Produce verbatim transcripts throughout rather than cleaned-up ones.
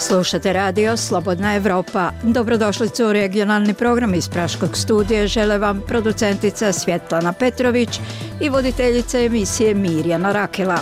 Slušate radio Slobodna Evropa. Dobrodošlicu u regionalni program iz Praškog studija. Žele vam producentica Svjetlana Petrović i voditeljica emisije Mirjana Rakela.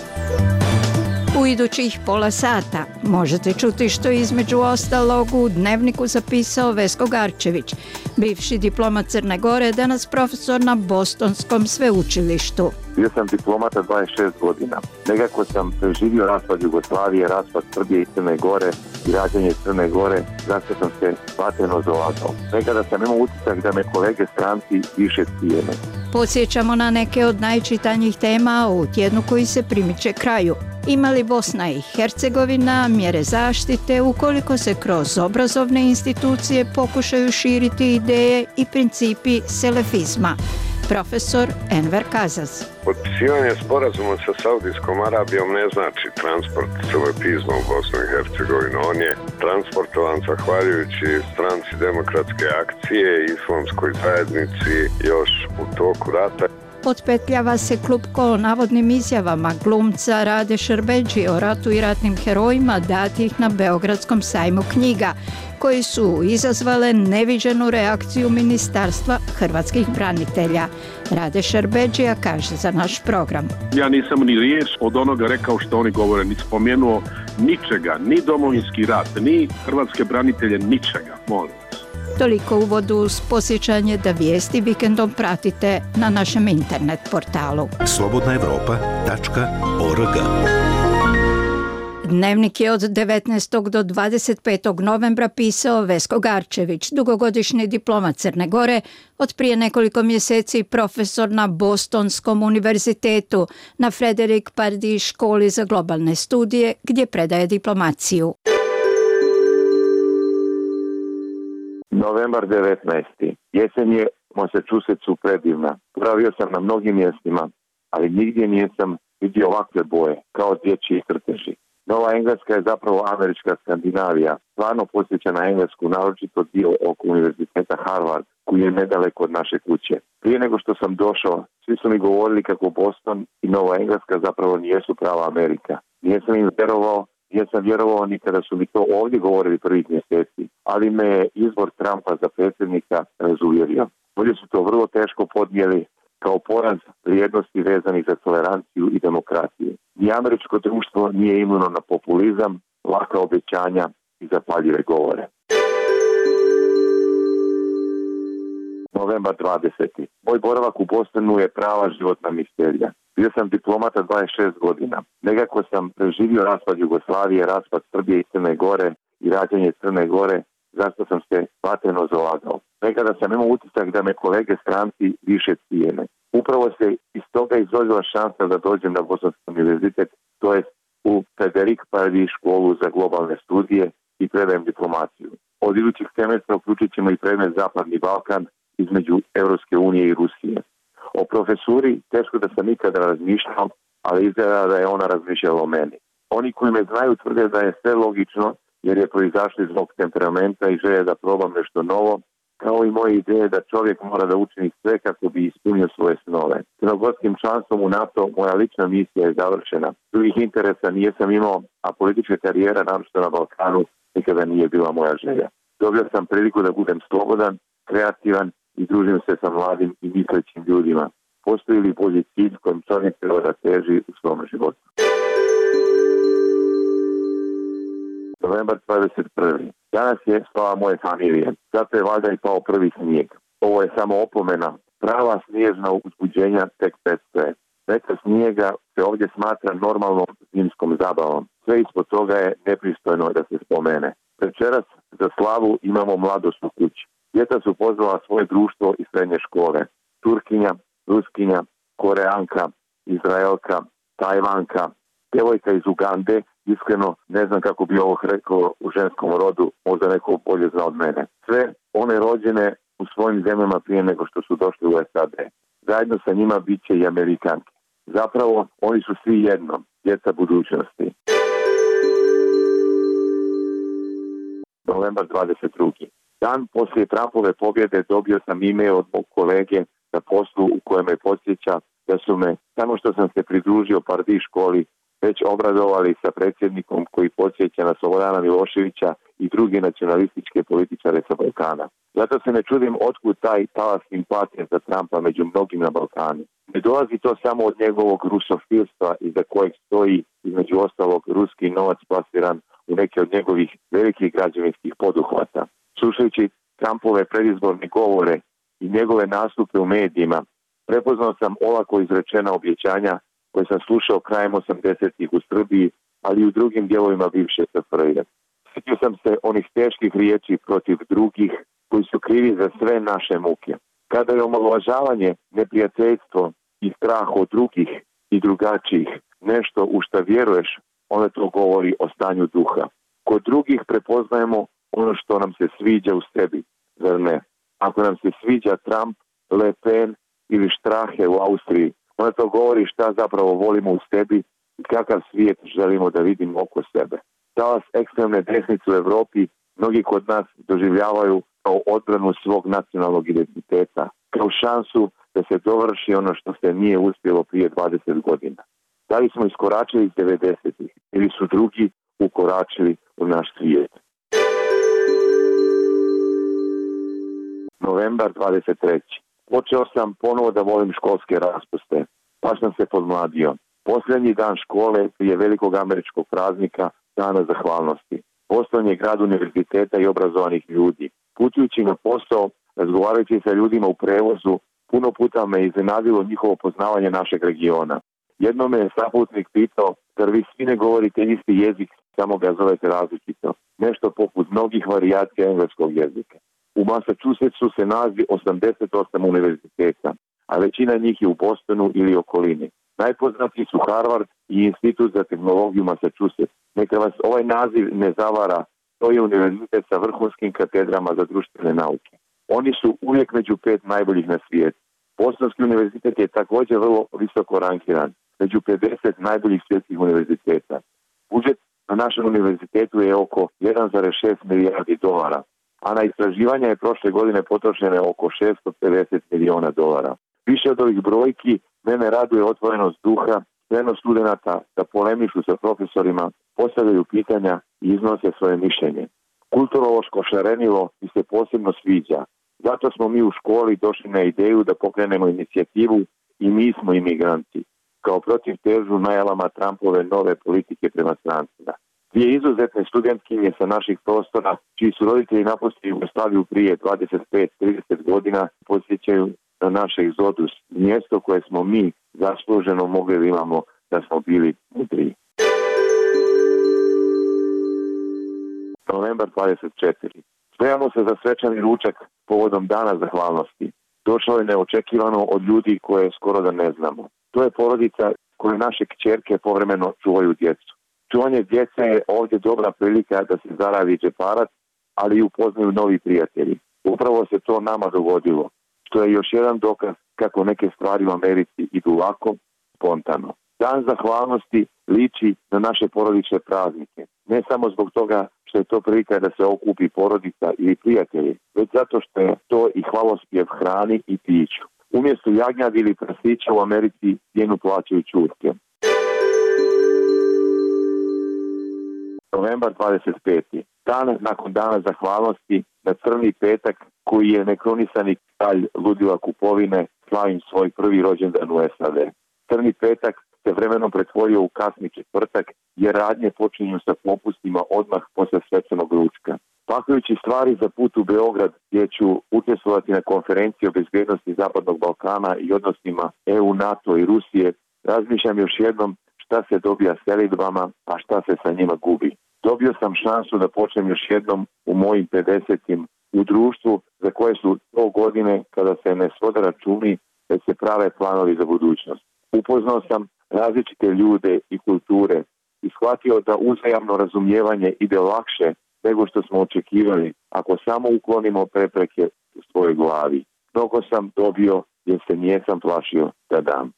U idućih pola sata možete čuti što je između ostalog u Dnevniku zapisao Vesko Garčević, bivši diplomat Crne Gore, danas profesor na Bostonskom sveučilištu. Bio sam diplomata dvadeset šest godina. Nekako sam preživio raspad Jugoslavije, raspad Srbije i Crne Gore i rađanje Crne Gore, zašto sam se vatreno zalagao. Nekada sam imao utisak da me kolege stranci više cijene. Podsjećamo na neke od najčitanjih tema u tjednu koji se primiče kraju. Ima li Bosna i Hercegovina mjere zaštite ukoliko se kroz obrazovne institucije pokušaju širiti ideje i principi selefizma? Profesor Enver Kazaz. Potpisivanje sporazuma sa Saudijskom Arabijom ne znači transport selefizma u Bosnu i Hercegovinu. On je transportovan zahvaljujući stranci demokratske akcije i islamskoj zajednici još u toku rata. Potpetljava se klupko o navodnim izjavama glumca Rade Šerbedžije o ratu i ratnim herojima datih na Beogradskom sajmu knjiga, koji su izazvale neviđenu reakciju Ministarstva hrvatskih branitelja. Rade Šerbedžija kaže za naš program. Ja nisam ni riječ od onoga rekao što oni govore, ni spomenuo ničega, ni domovinski rat, ni hrvatske branitelje, ničega, molim. Toliko uvodu uz posjećanje da vijesti vikendom pratite na našem internet portalu slobodna evropa tačka org. Dnevnik je od devetnaestog do dvadeset petog novembra pisao Vesko Garčević, dugogodišnji diplomat Crne Gore, od prije nekoliko mjeseci profesor na Bostonskom univerzitetu, na Frederick Pardee školi za globalne studije, gdje predaje diplomaciju. Novembar devetnaesti. Jesen je u Massachusettsu predivna. Boravio sam na mnogim mjestima, ali nigdje nisam vidio ovakve boje, kao dječji crteži. Nova Engleska je zapravo američka Skandinavija. Stvarno posjeća na Englesku, naročito dio oko univerziteta Harvard, koji je nedaleko od naše kuće. Prije nego što sam došao, svi su mi govorili kako Boston i Nova Engleska zapravo nijesu prava Amerika. Nijesam im vjerovao, nisam vjerovao ni kada su mi to ovdje govorili prvih mjeseci, ali me je izbor Trumpa za predsjednika razuvjerio. Ovdje su to vrlo teško podnijeli kao poraz vrijednosti vezanih za toleranciju i demokraciju. Ni američko društvo nije imuno na populizam, laka obećanja i zapaljive govore. Novembar dvadeseti. Moj boravak u Bostonu je prava životna misterija. Bio sam diplomata dvadeset šest godina. Nekako sam preživio raspad Jugoslavije, raspad Srbije i Crne Gore i rađanje Crne Gore, zašto sam se vatreno zalagao. Nekada sam imao utisak da me kolege stranci više cijene. Upravo se iz toga izrodila šansa da dođem na Bostonski univerzitet, to jest u Frederick Pardee školu za globalne studije i predajem diplomaciju. Od idućih semestra uključit ćemo i predmet Zapadni Balkan između Europske unije i Rusije. O profesuri teško da sam ikada razmišljao, ali izgleda da je ona razmišljala o meni. Oni koji me znaju tvrde da je sve logično, jer je proizašlo iz mog temperamenta i želje da probam nešto novo, kao i moje ideje da čovjek mora da učini sve kako bi ispunio svoje snove. Crnogorskim članstvom u NATO moja lična misija je završena. Drugih interesa nijesam imao, a politička karijera, naročito na Balkanu, nikada nije bila moja želja. Dobio sam priliku da budem slobodan, kreativan i družim se sa mladim i mislećim ljudima. Postoji li bolji cilj kojim čovjek treba da teži u svom životu? Novembar dvadeset prvi. Danas je slava moje familije. Zato je valjda i pao prvi snijeg. Ovo je samo opomena. Prava snježna uzbuđenja tek predstoje. Neka snijega se ovdje smatra normalnom zimskom zabavom. Sve ispod toga je nepristojno da se spomene. Večeras za slavu imamo mladost u kući. Djeca su pozvala svoje društvo i srednje škole. Turkinja, Ruskinja, Koreanka, Izraelka, Tajvanka, djevojka iz Ugande. Iskreno ne znam kako bi ovo rekao u ženskom rodu, možda neko bolje zna od mene. Sve one rođene u svojim zemljama prije nego što su došli u S A D. Zajedno sa njima bit će i Amerikanke. Zapravo, oni su svi jedno, djeca budućnosti. Novembar dvadeset drugi. Dan poslije Trumpove pobjede dobio sam email od mog kolege na poslu u kojem me podsjeća da su me, samo što sam se pridružio Pardee školi, već obradovali sa predsjednikom koji podsjeća na Slobodana Miloševića i druge nacionalističke političare sa Balkana. Zato se ne čudim otkud taj talas simpatije za Trumpa među mnogim na Balkanu. Ne dolazi to samo od njegovog rusofilstva iza kojeg stoji između ostalog ruski novac plasiran u neke od njegovih velikih građevinskih poduhvata. Slušajući Trumpove predizborne govore i njegove nastupe u medijima, prepoznao sam olako izrečena objećanja koje sam slušao krajem osamdesetih u Srbiji, ali i u drugim dijelovima bivše S F R J. Sjetio sam se onih teških riječi protiv drugih koji su krivi za sve naše muke. Kada je omalovažavanje, neprijateljstvo i strah od drugih i drugačijih nešto u šta vjeruješ, onda to govori o stanju duha. Kod drugih prepoznajemo ono što nam se sviđa u sebi, zar ne? Ako nam se sviđa Trump, Le Pen ili Strahe u Austriji, onda to govori šta zapravo volimo u sebi i kakav svijet želimo da vidimo oko sebe. Talas ekstremne desnice u Europi mnogi kod nas doživljavaju kao odbranu svog nacionalnog identiteta, kao šansu da se dovrši ono što se nije uspjelo prije dvadeset godina. Da li smo iskoračili iz devedesetih ili su drugi ukoračili u naš svijet? Novembar dvadeset treći. Počeo sam ponovo da volim školske raspuste. Pa sam se podmladio. Posljednji dan škole prije velikog američkog praznika, Dana zahvalnosti. Boston je grad univerziteta i obrazovanih ljudi. Putujući na posao, razgovarajući sa ljudima u prevozu, puno puta me iznenadilo njihovo poznavanje našeg regiona. Jednom me je saputnik pitao, zar vi svi ne govorite isti jezik, samo ga zovete različito. Nešto poput mnogih varijacija engleskog jezika. U Massachusettsu se nalazi osamdeset osam univerziteta, a većina njih je u Bostonu ili okolini. Najpoznatiji su Harvard i Institut za tehnologiju Massachusetts. Neka vas ovaj naziv ne zavara, to je univerzitet sa vrhunskim katedrama za društvene nauke. Oni su uvijek među pet najboljih na svijetu. Bostonski univerzitet je također vrlo visoko rankiran, među pedeset najboljih svjetskih univerziteta. Budžet na našem univerzitetu je oko jedan zarez šest milijardi dolara, a na istraživanja je prošle godine potrošene oko šesto pedeset milijuna dolara. Više od ovih brojki mene raduje otvorenost duha, spremnost studenata da polemišu sa profesorima, postavljaju pitanja i iznose svoje mišljenje. Kulturološko šarenilo mi se posebno sviđa. Zato smo mi u školi došli na ideju da pokrenemo inicijativu I mi smo imigranti, kao protiv težu najalama Trumpove nove politike prema strancima. Dvije izuzetne studentkinje sa naših prostora, čiji su roditelji napustili Jugoslaviju prije dvadeset pet do trideset godina, podsjećaju na naš egzodus, mjesto koje smo mi zasluženo mogli da imamo da smo bili mudriji. Novembar dvadeset četvrti. Spremamo se za svečani ručak povodom Dana zahvalnosti. Došlo je neočekivano od ljudi koje skoro da ne znamo. To je porodica koje naše kćerke povremeno čuvaju djecu. Čuvanje djece je ovdje dobra prilika da se zaradi džeparac, ali i upoznaju novi prijatelji. Upravo se to nama dogodilo, što je još jedan dokaz kako neke stvari u Americi idu lako, spontano. Dan zahvalnosti liči na naše porodične praznike. Ne samo zbog toga što je to prilika da se okupi porodica ili prijatelji, već zato što je to i hvalospjev hrani i piću. Umjesto jagnjadi ili prasića u Americi cijenu plaćaju ćurke. Novembar dvadeset peti. Dan nakon Dana zahvalnosti na Crni petak, koji je nekronisani kralj ludila kupovine, slavim svoj prvi rođendan u S A D. Crni petak se vremenom pretvorio u kasni četvrtak, jer radnje počinju sa popustima odmah posle svečanog ručka. Pakujući stvari za put u Beograd, gdje ću učestvovati na konferenciji o bezbjednosti Zapadnog Balkana i odnosima E U, NATO i Rusije, razmišljam još jednom šta se dobija selidbama, a šta se sa njima gubi. Dobio sam šansu da počnem još jednom u mojim pedesetim u društvu za koje su to godine kada se ne svode računi, već se prave planovi za budućnost. Upoznao sam različite ljude i kulture i shvatio da uzajamno razumijevanje ide lakše nego što smo očekivali ako samo uklonimo prepreke u svojoj glavi. Mnogo sam dobio jer se nijesam plašio da dam.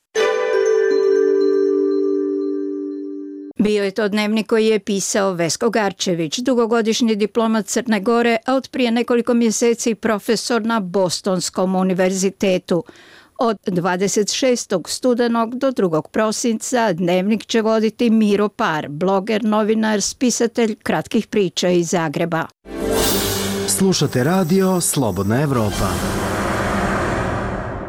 Bio je to dnevnik koji je pisao Vesko Garčević, dugogodišnji diplomat Crne Gore, a od prije nekoliko mjeseci profesor na Bostonskom univerzitetu. Od dvadeset šestog studenog do drugog prosinca Dnevnik će voditi Miro Par, bloger, novinar, spisatelj kratkih priča iz Zagreba. Slušate radio Slobodna Evropa.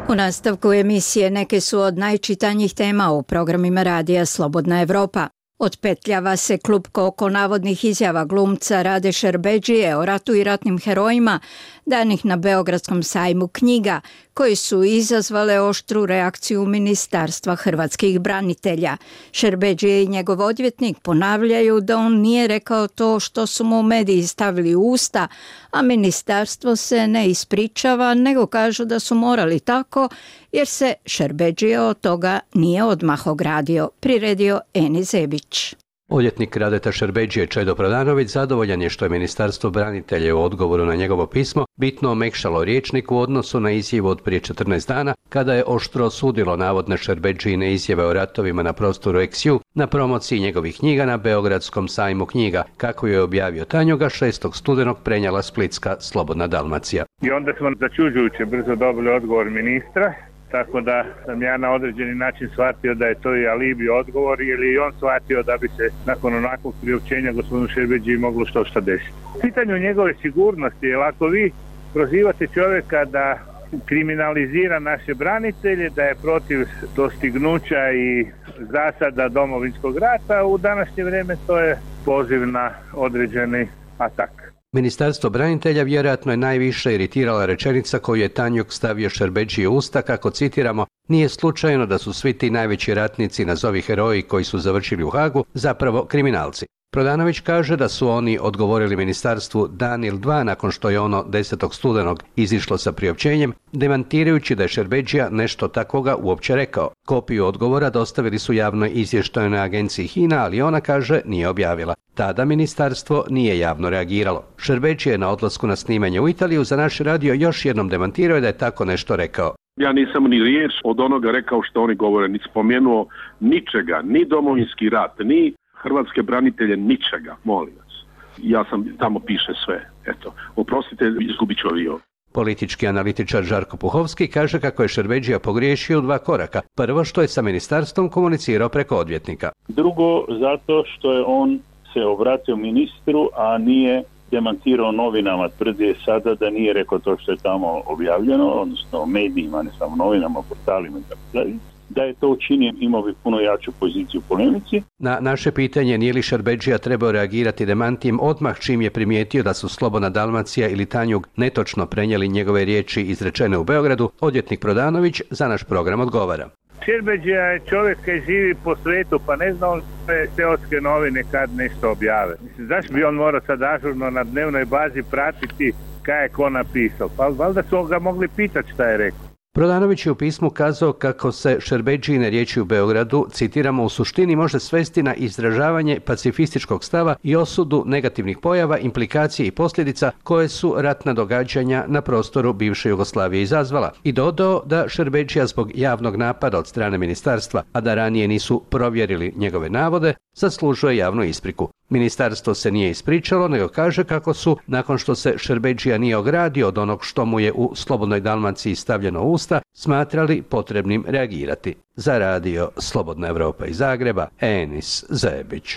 U nastavku emisije neke su od najčitanjih tema u programima radija Slobodna Evropa. Otpetljava se klupko oko navodnih izjava glumca Rade Šerbedžije o ratu i ratnim herojima danih na Beogradskom sajmu knjiga, koji su izazvale oštru reakciju Ministarstva hrvatskih branitelja. Šerbedžije i njegov odvjetnik ponavljaju da on nije rekao to što su mu mediji stavili u usta, a ministarstvo se ne ispričava, nego kažu da su morali tako, jer se Šerbedžije od toga nije odmah ogradio, priredio Eni Zebić. Odvjetnik Radeta Šerbedžije Čedo Prodanović zadovoljan je što je Ministarstvo branitelja u odgovoru na njegovo pismo bitno omekšalo rječnik u odnosu na izjavu od prije četrnaest dana, kada je oštro osudilo navodne Šerbedžijine izjave o ratovima na prostoru eks ju na promociji njegovih knjiga na Beogradskom sajmu knjiga, kako je objavio Tanjuga šestog studenog prenijela splitska Slobodna Dalmacija. I onda smo začuđujuće brzo dobili odgovor ministra, tako da sam ja na određeni način shvatio da je to i alibi odgovor, ili i on shvatio da bi se nakon onakvog priopćenja gospodinu Šerbedžiji moglo što šta desiti. U pitanju njegove sigurnosti, jer ako vi prozivate čovjeka da kriminalizira naše branitelje, da je protiv dostignuća i zasada Domovinskog rata, u današnje vrijeme to je poziv na određeni atak. Ministarstvo branitelja vjerojatno je najviše iritirala rečenica koju je Tanjug stavio Šerbedžiji u usta, kako citiramo, nije slučajno da su svi ti najveći ratnici, nazovi heroji koji su završili u Hagu, zapravo kriminalci. Prodanović kaže da su oni odgovorili ministarstvu dan ili dva nakon što je ono desetog studenog izišlo sa priopćenjem, demantirajući da je Šerbedžija nešto takvoga uopće rekao. Kopiju odgovora dostavili su javnoj izvještajnoj agenciji HINA, ali ona, kaže, nije objavila. Tada ministarstvo nije javno reagiralo. Šerbedžija je na odlasku na snimanje u Italiju za naš radio još jednom demantirao da je tako nešto rekao. Ja nisam ni riječ od onoga rekao što oni govore, ni spomenuo ničega, ni Domovinski rat, ni hrvatske branitelje, ničega, molim vas. Ja sam, tamo piše sve, eto, oprostite, izgubit ću avion. Politički analitičar Žarko Puhovski kaže kako je Šerbedžija pogriješio u dva koraka. Prvo, što je sa ministarstvom komunicirao preko odvjetnika. Drugo, zato što je on se obratio ministru, a nije demantirao novinama. Tvrdi je sada da nije rekao to što je tamo objavljeno, odnosno medijima, ne samo novinama, portalima i tako dalje. Da je to učinio, imao bi puno jaču poziciju u polemici. Na naše pitanje nije li Šerbedžija trebao reagirati demantijem odmah čim je primijetio da su Slobodna Dalmacija ili Tanjug netočno prenijeli njegove riječi izrečene u Beogradu, odvjetnik Prodanović za naš program odgovara. Šerbedžija je čovjek koji živi po svetu, pa ne zna on sve seoske novine kad nešto objave. Mislim, zašto bi on morao sad ažurno na dnevnoj bazi pratiti kaj je ko napisao? Pa valjda su ga mogli pitati šta je rekao. Prodanović je u pismu kazao kako se Šerbedžijine riječi u Beogradu, citiramo, u suštini može svesti na izražavanje pacifističkog stava i osudu negativnih pojava, implikacije i posljedica koje su ratna događanja na prostoru bivše Jugoslavije izazvala. I dodao da Šerbedžija zbog javnog napada od strane ministarstva, a da ranije nisu provjerili njegove navode, zaslužuje javnu ispriku. Ministarstvo se nije ispričalo, nego kaže kako su, nakon što se Šerbedžija nije ogradio od onog što mu je u Slobodnoj Dalmaciji stavljeno u usta, smatrali potrebnim reagirati. Za radio Slobodna Evropa iz Zagreba, Enis Zebić.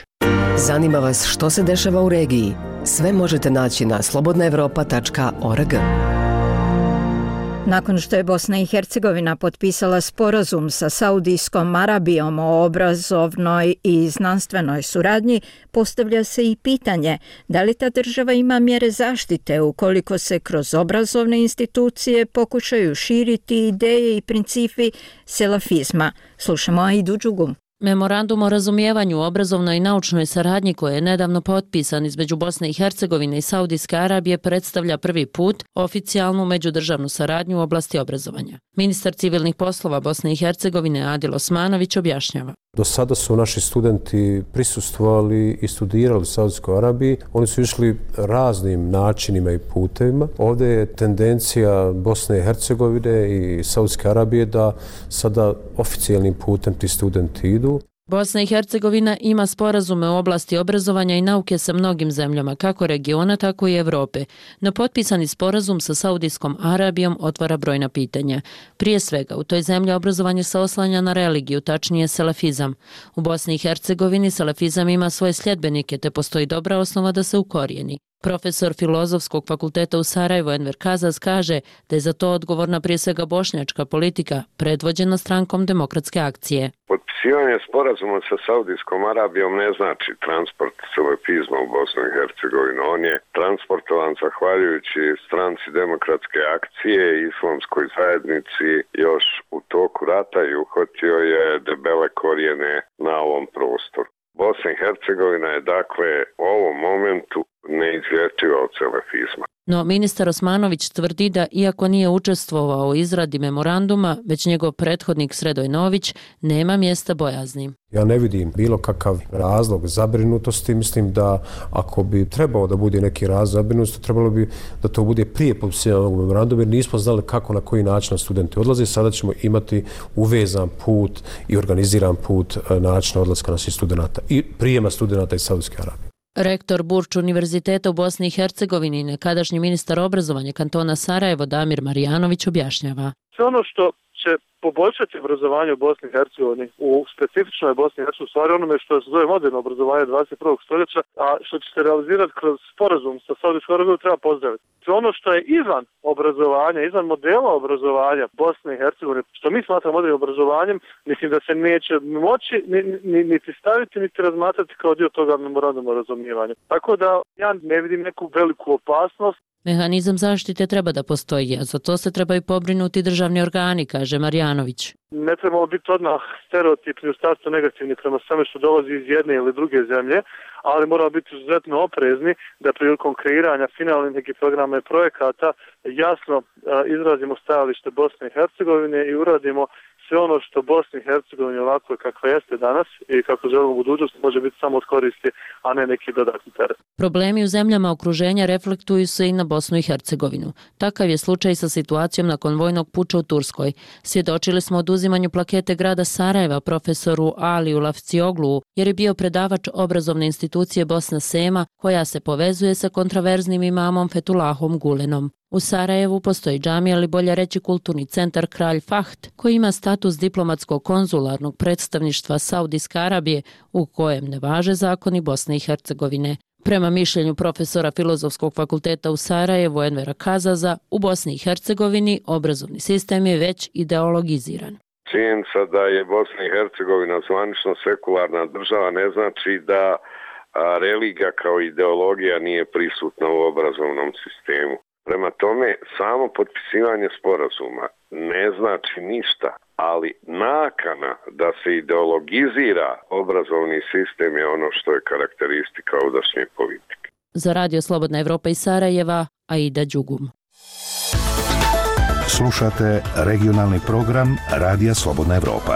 Zanima vas što se dešava u regiji? Sve možete naći na slobodna evropa tačka org. Nakon što je Bosna i Hercegovina potpisala sporazum sa Saudijskom Arabijom o obrazovnoj i znanstvenoj suradnji, postavlja se i pitanje da li ta država ima mjere zaštite ukoliko se kroz obrazovne institucije pokušaju širiti ideje i principi selafizma. Slušamo Aidu Đugu. Memorandum o razumijevanju u obrazovnoj i naučnoj saradnji koji je nedavno potpisan između Bosne i Hercegovine i Saudijske Arabije predstavlja prvi put oficijalnu međudržavnu saradnju u oblasti obrazovanja. Ministar civilnih poslova Bosne i Hercegovine Adil Osmanović objašnjava. Do sada su naši studenti prisustvovali i studirali u Saudijskoj Arabiji. Oni su išli raznim načinima i putevima. Ovdje je tendencija Bosne i Hercegovine i Saudijske Arabije da sada oficijalnim putem ti studenti idu. Bosna i Hercegovina ima sporazume u oblasti obrazovanja i nauke sa mnogim zemljama, kako regiona, tako i Evrope. No potpisani sporazum sa Saudijskom Arabijom otvara brojna pitanja. Prije svega, u toj zemlji obrazovanje se oslanja na religiju, tačnije selafizam. U Bosni i Hercegovini selafizam ima svoje sljedbenike, te postoji dobra osnova da se ukorijeni. Profesor Filozofskog fakulteta u Sarajevu Enver Kazaz kaže da je za to odgovorna prije svega bošnjačka politika, predvođena strankom Demokratske akcije. Potpisivanje sporazuma sa Saudijskom Arabijom ne znači transport selefizma u Bosnu i Hercegovinu. On je transportovan zahvaljujući stranci Demokratske akcije i islamskoj zajednici još u toku rata i uhvatio je debele korijene na ovom prostoru. Bosna i Hercegovina je dakle u ovom momentu neizlječiva od selefizma. No ministar Osmanović tvrdi da iako nije učestvovao u izradi memoranduma, već njegov prethodnik Sredoj Nović, nema mjesta bojazni. Ja ne vidim bilo kakav razlog zabrinutosti. Mislim da ako bi trebao da bude neki razlog zabrinutosti, trebalo bi da to bude prije potpisivanja ovog memoranduma, jer nismo znali kako, na koji način studenti odlaze. Sada ćemo imati uvezan put i organiziran put načina odlaska naših studenta i prijema studenta iz Saudijske Arabije. Rektor Burč univerziteta u Bosni i Hercegovini i nekadašnji ministar obrazovanja kantona Sarajevo Damir Marijanović objašnjava. Sve ono što će poboljšati obrazovanje u Bosni i Hercegovini, u specifičnoj Bosni i Hercegovini, u stvari onome što se zove moderno obrazovanje dvadeset prvog stoljeća, a što će se realizirati kroz sporazum sa Saudijskom Arabijom, treba pozdraviti. Sve ono što je izvan obrazovanja, izvan modela obrazovanja Bosne i Hercegovine, što mi smatramo modernim obrazovanjem, mislim da se neće moći niti staviti, niti razmatrati kao dio toga memoranduma o razumijevanju. Tako da ja ne vidim neku veliku opasnost. Mehanizam zaštite treba da postoji, a za to se trebaju pobrinuti državni organi, kaže Marjanović. Ne trebamo biti odmah stereotipni u startu negativni prema svemu što dolazi iz jedne ili druge zemlje, ali moramo biti izuzetno oprezni da prilikom kreiranja finalnih nekih programa i projekata jasno izrazimo stajalište Bosne i Hercegovine i uradimo sve ono što Bosni i Hercegovini ovako kakva jeste danas i kako želimo u budućnosti može biti samo od koristi, a ne neki dodatni teret. Problemi u zemljama okruženja reflektuju se i na Bosnu i Hercegovinu. Takav je slučaj sa situacijom nakon vojnog puča u Turskoj. Svjedočili smo oduzimanju plakete grada Sarajeva profesoru Aliju Lafcioglu, jer je bio predavač obrazovne institucije Bosna Sema, koja se povezuje sa kontraverznim imamom Fetulahom Gulenom. U Sarajevu postoji džamija, ili bolje reći kulturni centar Kralj Fahd, koji ima status diplomatskog konzularnog predstavništva Saudijske Arabije, u kojem ne važe zakoni Bosne i Hercegovine. Prema mišljenju profesora Filozofskog fakulteta u Sarajevu Envera Kazaza, u Bosni i Hercegovini obrazovni sistem je već ideologiziran. Činjenica da je Bosna i Hercegovina zvanično sekularna država ne znači da religija kao ideologija nije prisutna u obrazovnom sistemu. Prema tome, samo potpisivanje sporazuma ne znači ništa, ali nakana da se ideologizira obrazovni sistem je ono što je karakteristika ovdašnje politike. Za Radio Slobodna Evropa iz Sarajeva, Aida Đugum. Slušate regionalni program Radija Slobodna Evropa.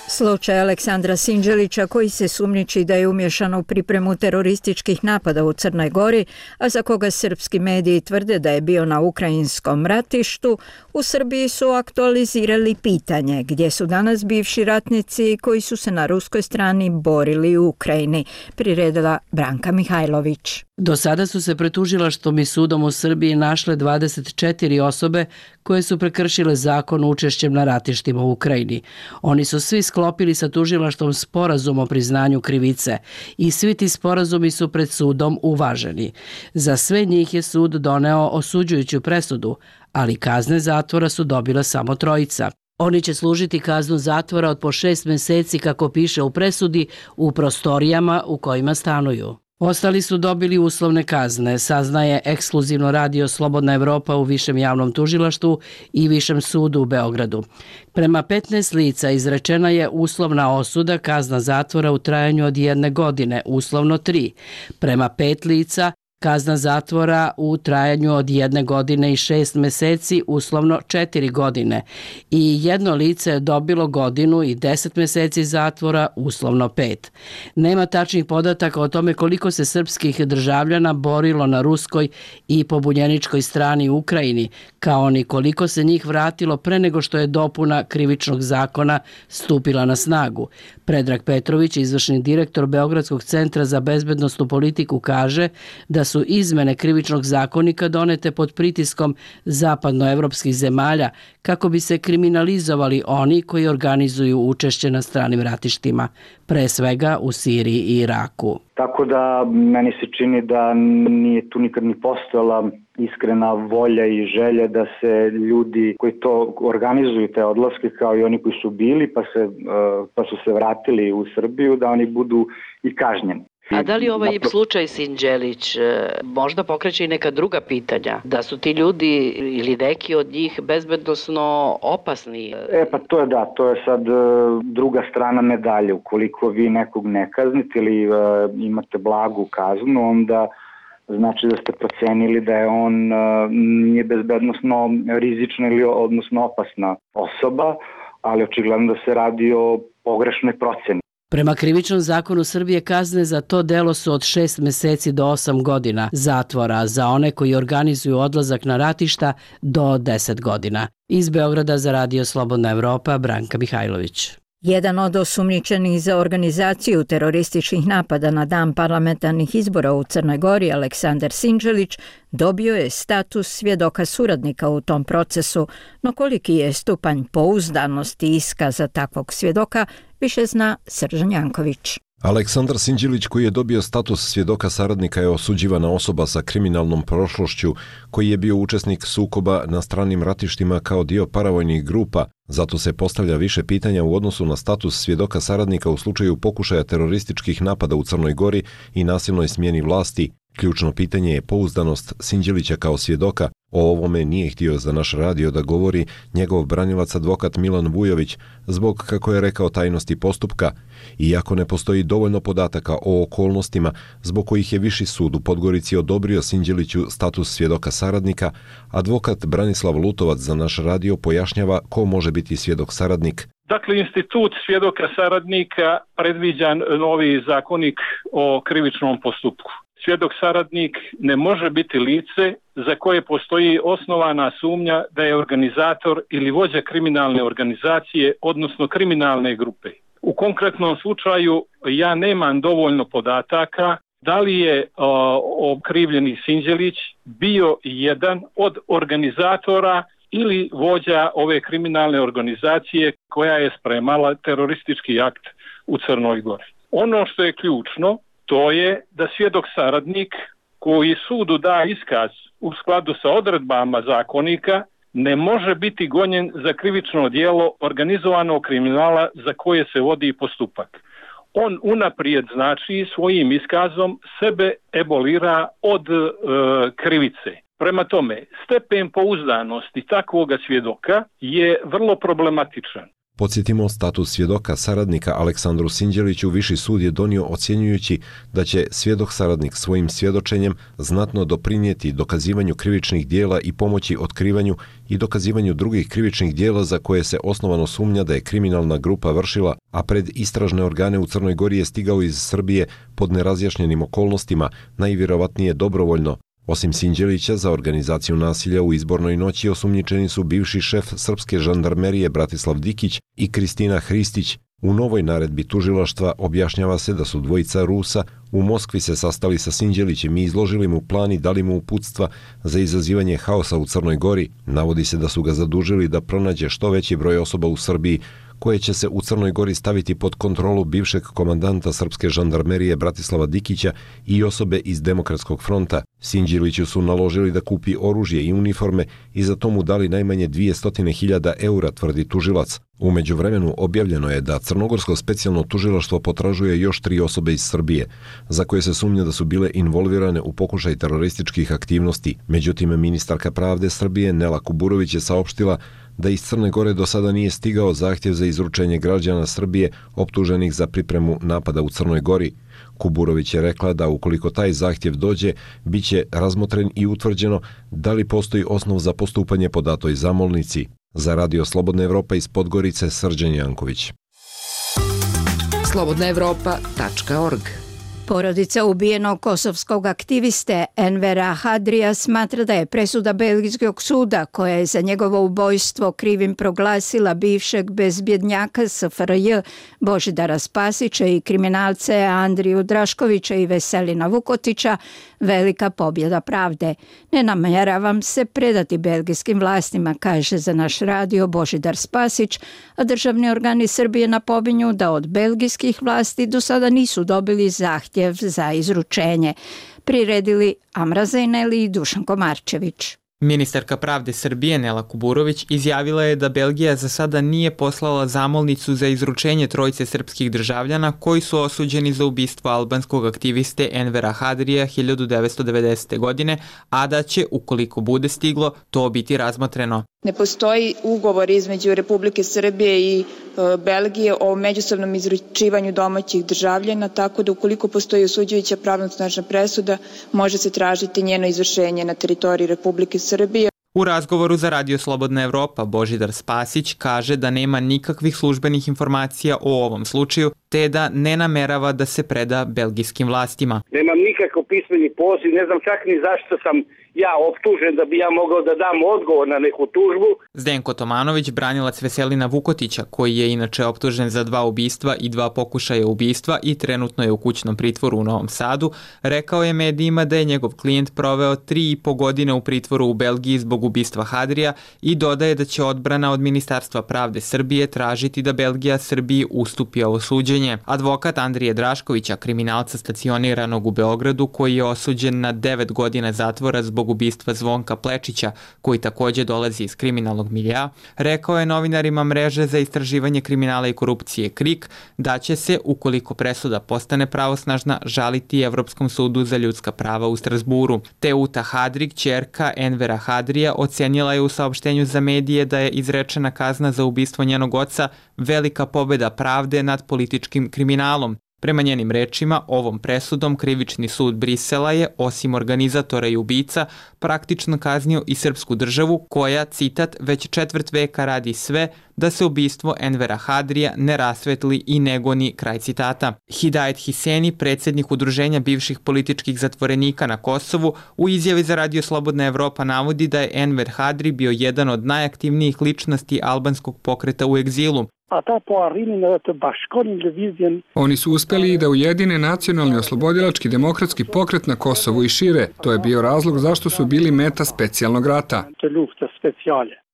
Slučaj Aleksandra Sinđelića, koji se sumnjiči da je umješan u pripremu terorističkih napada u Crnoj Gori, a za koga srpski mediji tvrde da je bio na ukrajinskom ratištu, u Srbiji su aktualizirali pitanje gdje su danas bivši ratnici koji su se na ruskoj strani borili u Ukrajini, priredila Branka Mihajlović. Do sada su se pred tužilaštvom i sudom u Srbiji našle dvadeset četiri osobe koje su prekršile zakon učešćem na ratištima u Ukrajini. Oni su svi sklopili sa tužilaštvom sporazum o priznanju krivice i svi ti sporazumi su pred sudom uvaženi. Za sve njih je sud doneo osuđujuću presudu, ali kazne zatvora su dobila samo trojica. Oni će služiti kaznu zatvora od po šest mjeseci, kako piše u presudi, u prostorijama u kojima stanuju. Ostali su dobili uslovne kazne, saznaje ekskluzivno Radio Slobodna Evropa u Višem javnom tužilaštvu i Višem sudu u Beogradu. Prema petnaest lica izrečena je uslovna osuda, kazna zatvora u trajanju od jedne godine, uslovno tri. Prema pet lica Kazna zatvora u trajanju od jedne godine i šest meseci, uslovno četiri godine. I jedno lice je dobilo godinu i deset meseci zatvora, uslovno pet. Nema tačnih podataka o tome koliko se srpskih državljana borilo na ruskoj i pobunjeničkoj strani u Ukrajini, kao ni koliko se njih vratilo pre nego što je dopuna krivičnog zakona stupila na snagu. Predrag Petrović, izvršni direktor Beogradskog centra za bezbednosnu politiku, kaže da su izmene krivičnog zakonika donete pod pritiskom zapadnoevropskih zemalja kako bi se kriminalizovali oni koji organizuju učešće na stranim ratištima, pre svega u Siriji i Iraku. Tako da meni se čini da nije tu nikad ni postojala iskrena volja i želja da se ljudi koji to organizuju, te odlaske, kao i oni koji su bili pa, se, pa su se vratili u Srbiju, da oni budu i kažnjeni. A da li ovaj slučaj Sinđelić možda pokreće i neka druga pitanja? Da su ti ljudi ili neki od njih bezbednosno opasni? E pa to je da, to je sad druga strana medalje. Ukoliko vi nekog ne kaznite ili uh, imate blagu kaznu, onda znači da ste procenili da je on uh, nije bezbednosno rizična ili odnosno opasna osoba, ali očigledno da se radi o pogrešnoj proceni. Prema krivičnom zakonu Srbije kazne za to delo su od šest meseci do osam godina zatvora, za one koji organizuju odlazak na ratišta do deset godina. Iz Beograda za Radio Slobodna Evropa, Branka Mihajlović. Jedan od osumnjičenih za organizaciju terorističkih napada na dan parlamentarnih izbora u Crnoj Gori, Aleksandar Sinđelić, dobio je status svjedoka suradnika u tom procesu, no koliki je stupanj pouzdanosti iskaza takvog svjedoka, više zna Srđan Janković. Aleksandar Sinđelić, koji je dobio status svjedoka saradnika, je osuđivana osoba sa kriminalnom prošlošću, koji je bio učesnik sukoba na stranim ratištima kao dio paravojnih grupa. Zato se postavlja više pitanja u odnosu na status svjedoka saradnika u slučaju pokušaja terorističkih napada u Crnoj Gori i nasilnoj smjeni vlasti. Ključno pitanje je pouzdanost Sinđelića kao svjedoka. O ovome nije htio za naš radio da govori njegov branilac advokat Milan Vujović zbog, kako je rekao, tajnosti postupka. Iako ne postoji dovoljno podataka o okolnostima zbog kojih je Viši sud u Podgorici odobrio Sinđeliću status svjedoka saradnika, advokat Branislav Lutovac za naš radio pojašnjava ko može biti svjedok saradnik. Dakle, institut svjedoka saradnika predviđa novi zakonik o krivičnom postupku. Svjedok saradnik ne može biti lice za koje postoji osnovana sumnja da je organizator ili vođa kriminalne organizacije, odnosno kriminalne grupe. U konkretnom slučaju ja nemam dovoljno podataka da li je o, okrivljeni Sinđelić bio jedan od organizatora ili vođa ove kriminalne organizacije koja je spremala teroristički akt u Crnoj Gori. Ono što je ključno, to je da svjedok saradnik koji sudu da iskaz u skladu sa odredbama zakonika ne može biti gonjen za krivično djelo organizovanog kriminala za koje se vodi postupak. On unaprijed, znači, svojim iskazom sebe ebolira od e, krivice. Prema tome, stepen pouzdanosti takvoga svjedoka je vrlo problematičan. Podsjetimo, status svjedoka saradnika Aleksandru Sinđeliću Viši sud je donio ocjenjujući da će svjedok saradnik svojim svjedočenjem znatno doprinijeti dokazivanju krivičnih dijela i pomoći otkrivanju i dokazivanju drugih krivičnih dijela za koje se osnovano sumnja da je kriminalna grupa vršila, a pred istražne organe u Crnoj Gori je stigao iz Srbije pod nerazjašnjenim okolnostima, najvjerovatnije dobrovoljno. Osim Sinđelića, za organizaciju nasilja u izbornoj noći osumnjičeni su bivši šef srpske žandarmerije Bratislav Dikić i Kristina Hristić. U novoj naredbi tužilaštva objašnjava se da su dvojica Rusa u Moskvi se sastali sa Sinđelićem i izložili mu plan i dali mu uputstva za izazivanje haosa u Crnoj Gori. Navodi se da su ga zadužili da pronađe što veći broj osoba u Srbiji koje će se u Crnoj Gori staviti pod kontrolu bivšeg komandanta srpske žandarmerije Bratislava Dikića i osobe iz Demokratskog fronta. Sinđeliću su naložili da kupi oružje i uniforme i za to mu dali najmanje dvjesto hiljada eura, tvrdi tužilac. U međuvremenu objavljeno je da Crnogorsko specijalno tužilaštvo potražuje još tri osobe iz Srbije, za koje se sumnja da su bile involvirane u pokušaj terorističkih aktivnosti. Međutim, ministarka pravde Srbije Nela Kuburović je saopštila da iz Crne Gore do sada nije stigao zahtjev za izručenje građana Srbije optuženih za pripremu napada u Crnoj Gori. Kuburović je rekla da ukoliko taj zahtjev dođe, bit će razmotren i utvrđeno da li postoji osnov za postupanje po datoj zamolnici. Za Radio Slobodna Evropa iz Podgorice, Srđan Janković. slobodna evropa tačka org. Porodica ubijenog kosovskog aktiviste Envera Hadrija smatra da je presuda belgijskog suda, koja je za njegovo ubojstvo krivim proglasila bivšeg bezbjednjaka S F R J Božidara Spasića i kriminalce Andriju Draškovića i Veselina Vukotića, velika pobjeda pravde. Ne namjeravam se predati belgijskim vlastima, kaže za naš radio Božidar Spasić, a državni organi Srbije napominju da od belgijskih vlasti do sada nisu dobili zahtjev za izručenje. Priredili Amra Zejneli i Dušan Komarčević. Ministarka pravde Srbije Nela Kuburović izjavila je da Belgija za sada nije poslala zamolnicu za izručenje trojice srpskih državljana koji su osuđeni za ubistvo albanskog aktiviste Envera Hadrija hiljadu devetsto devedesete. godine, a da će, ukoliko bude stiglo, to biti razmotreno. Ne postoji ugovor između Republike Srbije i e, Belgije o međusobnom izručivanju domaćih državljana, tako da ukoliko postoji osuđujuća pravnosnažna presuda, može se tražiti njeno izvršenje na teritoriji Republike Srbije. U razgovoru za Radio Slobodna Evropa Božidar Spasić kaže da nema nikakvih službenih informacija o ovom slučaju, te da ne namerava da se preda belgijskim vlastima. Nemam nikakav pismeni poziv, ne znam čak ni zašto sam ja optužen da bi ja mogao da dam odgovor na neku tužbu. Zdenko Tomanović, branilac Veselina Vukotića, koji je inače optužen za dva ubistva i dva pokušaja ubistva i trenutno je u kućnom pritvoru u Novom Sadu, rekao je medijima da je njegov klijent proveo tri i po godine u pritvoru u Belgiji zbog ubistva Hadrija i dodaje da će odbrana od Ministarstva pravde Srbije tražiti da Belgija Srbiji ustupi ovo suđenje. Advokat Andrije Draškovića, kriminalca stacioniranog u Beogradu, koji je osuđen na devet godina zatvora zbog ubistva Zvonka Plečića, koji također dolazi iz kriminalnog milija, rekao je novinarima mreže za istraživanje kriminala i korupcije KRIK da će se, ukoliko presuda postane pravosnažna, žaliti Evropskom sudu za ljudska prava u Strasburu. Teuta Hadrik, ćerka Envera Hadrija, ocenila je u saopštenju za medije da je izrečena kazna za ubistvo njenog oca velika pobjeda pravde nad političkim kriminalom. Prema njenim rečima, ovom presudom krivični sud Brisela je, osim organizatora i ubica, praktično kaznio i srpsku državu koja, citat, već četvrt veka radi sve da se ubistvo Envera Hadrija ne rasvetli i ne goni, kraj citata. Hidajet Hiseni, predsjednik udruženja bivših političkih zatvorenika na Kosovu, u izjavi za Radio Slobodna Evropa navodi da je Enver Hadri bio jedan od najaktivnijih ličnosti albanskog pokreta u egzilu. Oni su uspjeli da ujedine nacionalni oslobodilački demokratski pokret na Kosovu i šire. To je bio razlog zašto su bili meta specijalnog rata.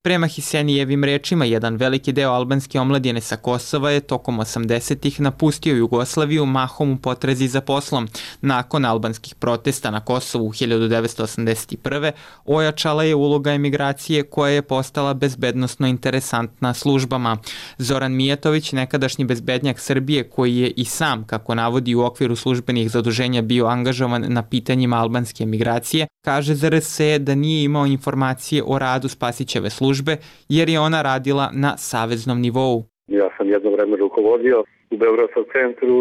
Prema Hisenijevim rečima, jedan veliki deo albanske omladine sa Kosova je tokom osamdesetih napustio Jugoslaviju mahom u potrazi za poslom. Nakon albanskih protesta na Kosovu u hiljadu devetsto osamdeset prve. ojačala je uloga emigracije koja je postala bezbednosno interesantna službama. Zoran Mijatović, nekadašnji bezbednjak Srbije, koji je i sam, kako navodi, u okviru službenih zaduženja bio angažovan na pitanjima albanske emigracije, kaže za R S E da nije imao informacije o radu Spasićeve službe jer je ona radila na saveznom nivou. Ja sam jedno vreme rukovodio u Beogradskom centru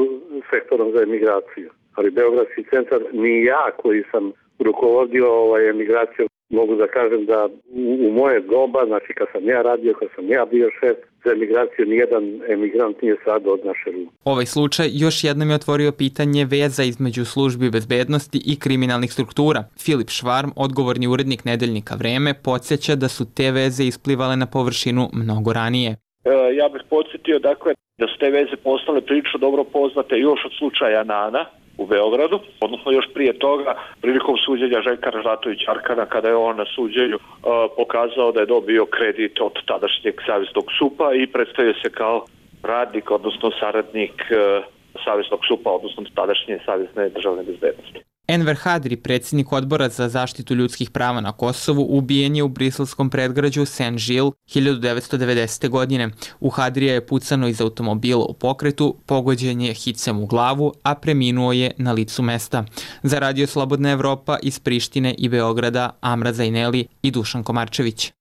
sektorom za emigraciju, ali Beogradski centar ni ja koji sam rukovodio ovaj emigraciju, mogu da kažem da u, u moje doba, znači kad sam ja radio, kad sam ja bio šef za emigraciju, nijedan emigrant nije sad od naše ruke. Ovaj slučaj još jednom je otvorio pitanje veza između službi bezbednosti i kriminalnih struktura. Filip Švarm, odgovorni urednik nedeljnika Vreme, podsjeća da su te veze isplivale na površinu mnogo ranije. E, ja bih podsjetio dakle da su te veze postale prilično dobro poznate još od slučaja Nana u Beogradu, odnosno još prije toga prilikom suđenja Željka Ražnatovića Arkana, kada je on na suđenju uh, pokazao da je dobio kredit od tadašnjeg saveznog supa i predstavio se kao radnik, odnosno saradnik uh, saveznog supa, odnosno tadašnje savezne državne bezbednosti. Enver Hadri, predsjednik odbora za zaštitu ljudskih prava na Kosovu, ubijen je u briselskom predgrađu Saint-Gilles hiljadu devetsto devedesete. godine. U Hadrija je pucano iz automobila u pokretu, pogođen je hicem u glavu, a preminuo je na licu mesta. Za Radio Slobodna Evropa iz Prištine i Beograda, Amra Zajneli i Dušan Komarčević.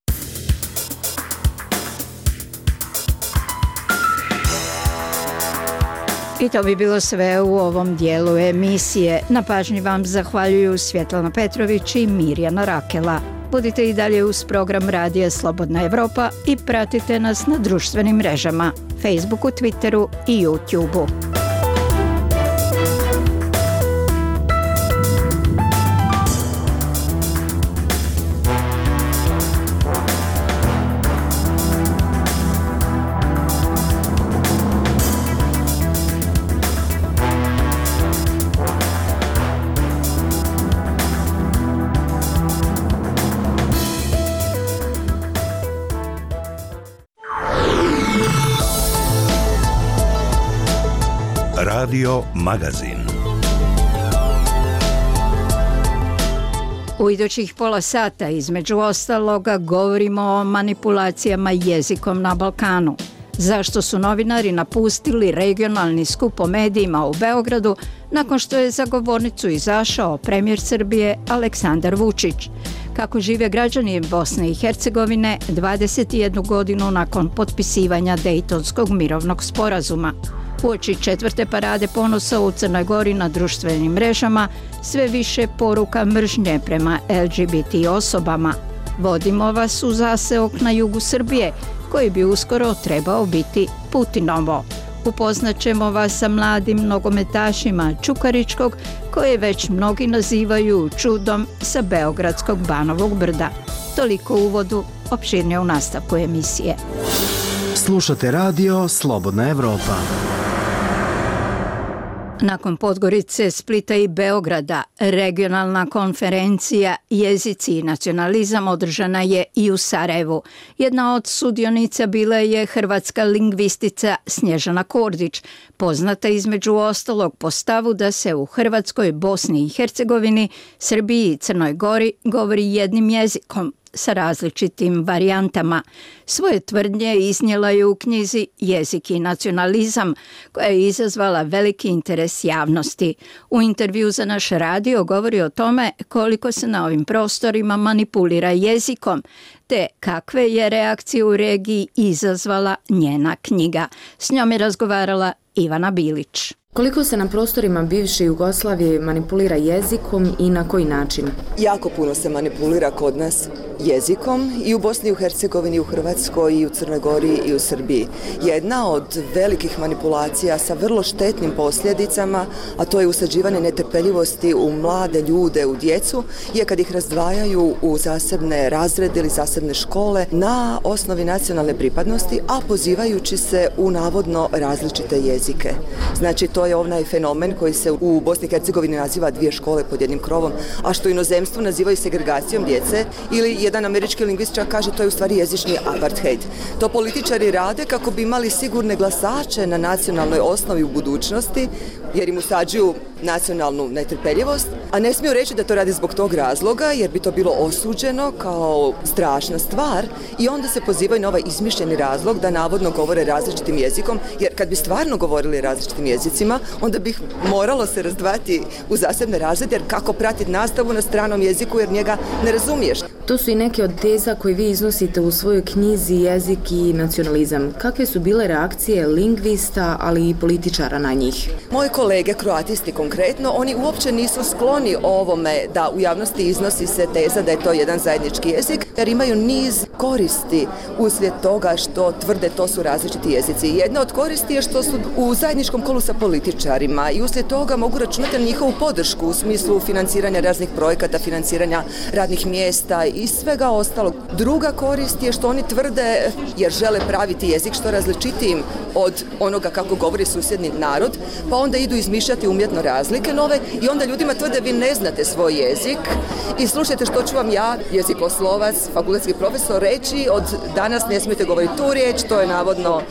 I to bi bilo sve u ovom dijelu emisije. Na pažnji vam zahvaljuju Svjetlana Petrović i Mirjana Rakela. Budite i dalje uz program Radija Slobodna Evropa i pratite nas na društvenim mrežama, Facebooku, Twitteru i YouTubeu. Radio Magazin. U idućih pola sata između ostaloga govorimo o manipulacijama jezikom na Balkanu. Zašto su novinari napustili regionalni skup o medijima u Beogradu nakon što je za govornicu izašao premijer Srbije Aleksandar Vučić? Kako žive građani Bosne i Hercegovine dvadeset jednu godinu nakon potpisivanja Dejtonskog mirovnog sporazuma? Uoči četvrte parade ponosa u Crnoj Gori na društvenim mrežama sve više poruka mržnje prema L G B T osobama. Vodimo vas u zaseok na jugu Srbije, koji bi uskoro trebao biti Putinovo. Upoznaćemo vas sa mladim nogometašima Čukaričkog, koje već mnogi nazivaju čudom sa Beogradskog Banovog brda. Toliko u uvodu, opširnije u nastavku emisije. Slušate radio Slobodna Evropa. Nakon Podgorice, Splita i Beograda, regionalna konferencija Jezici i nacionalizam održana je i u Sarajevu. Jedna od sudionica bila je hrvatska lingvistica Snježana Kordić, poznata između ostalog po stavu da se u Hrvatskoj, Bosni i Hercegovini, Srbiji i Crnoj Gori govori jednim jezikom sa različitim varijantama. Svoje tvrdnje iznijela je u knjizi Jezik i nacionalizam, koja je izazvala veliki interes javnosti. U intervju za naš radio govori o tome koliko se na ovim prostorima manipulira jezikom, te kakve je reakcije u regiji izazvala njena knjiga. S njom je razgovarala Ivana Bilić. Koliko se na prostorima bivše Jugoslavije manipulira jezikom i na koji način? Jako puno se manipulira kod nas jezikom i u Bosni i u Hercegovini, i u Hrvatskoj, i u Crnoj Gori, i u Srbiji. Jedna od velikih manipulacija sa vrlo štetnim posljedicama, a to je usađivanje netrpeljivosti u mlade ljude, u djecu, je kad ih razdvajaju u zasebne razrede ili zasebne škole na osnovi nacionalne pripadnosti, a pozivajući se u navodno različite jezike. Znači, to je onaj fenomen koji se u Bosni i Hercegovini naziva dvije škole pod jednim krovom, a što u inozemstvu nazivaju segregacijom djece, ili jedan američki lingvist čak kaže to je u stvari jezični apartheid. To političari rade kako bi imali sigurne glasače na nacionalnoj osnovi u budućnosti, jer im usađuju nacionalnu netrpeljivost, a ne smiju reći da to radi zbog tog razloga, jer bi to bilo osuđeno kao strašna stvar i onda se pozivaju na ovaj izmišljeni razlog da navodno govore različitim jezikom, jer kad bi stvarno govorili različitim jezicima, onda bi moralo se razdvajati u zasebne razrede, jer kako pratiti nastavu na stranom jeziku jer njega ne razumiješ. To su i neke od teza koje vi iznosite u svojoj knjizi Jezik i nacionalizam. Kakve su bile reakcije lingvista, ali i političara na njih? Moji kolege, kroatisti konkretno, oni uopće nisu skloni ovome da u javnosti iznosi se teza da je to jedan zajednički jezik, jer imaju niz koristi uslijed toga što tvrde to su različiti jezici. Jedna od koristi je što su u zajedničkom kolu sa političarima i uslijed toga mogu računati na njihovu podršku u smislu financiranja raznih projekata, financiranja radnih mjesta i svega ostalog. Druga korist je što oni tvrde, jer žele praviti jezik što različitijim od onoga kako govori susjedni narod, pa onda idu izmišljati umjetno razlike nove i onda ljudima tvrde vi ne znate svoj jezik i slušajte što ću vam ja, jezikoslovac, fakultetski profesor, reći, od danas ne smijete govoriti tu riječ, to je navodno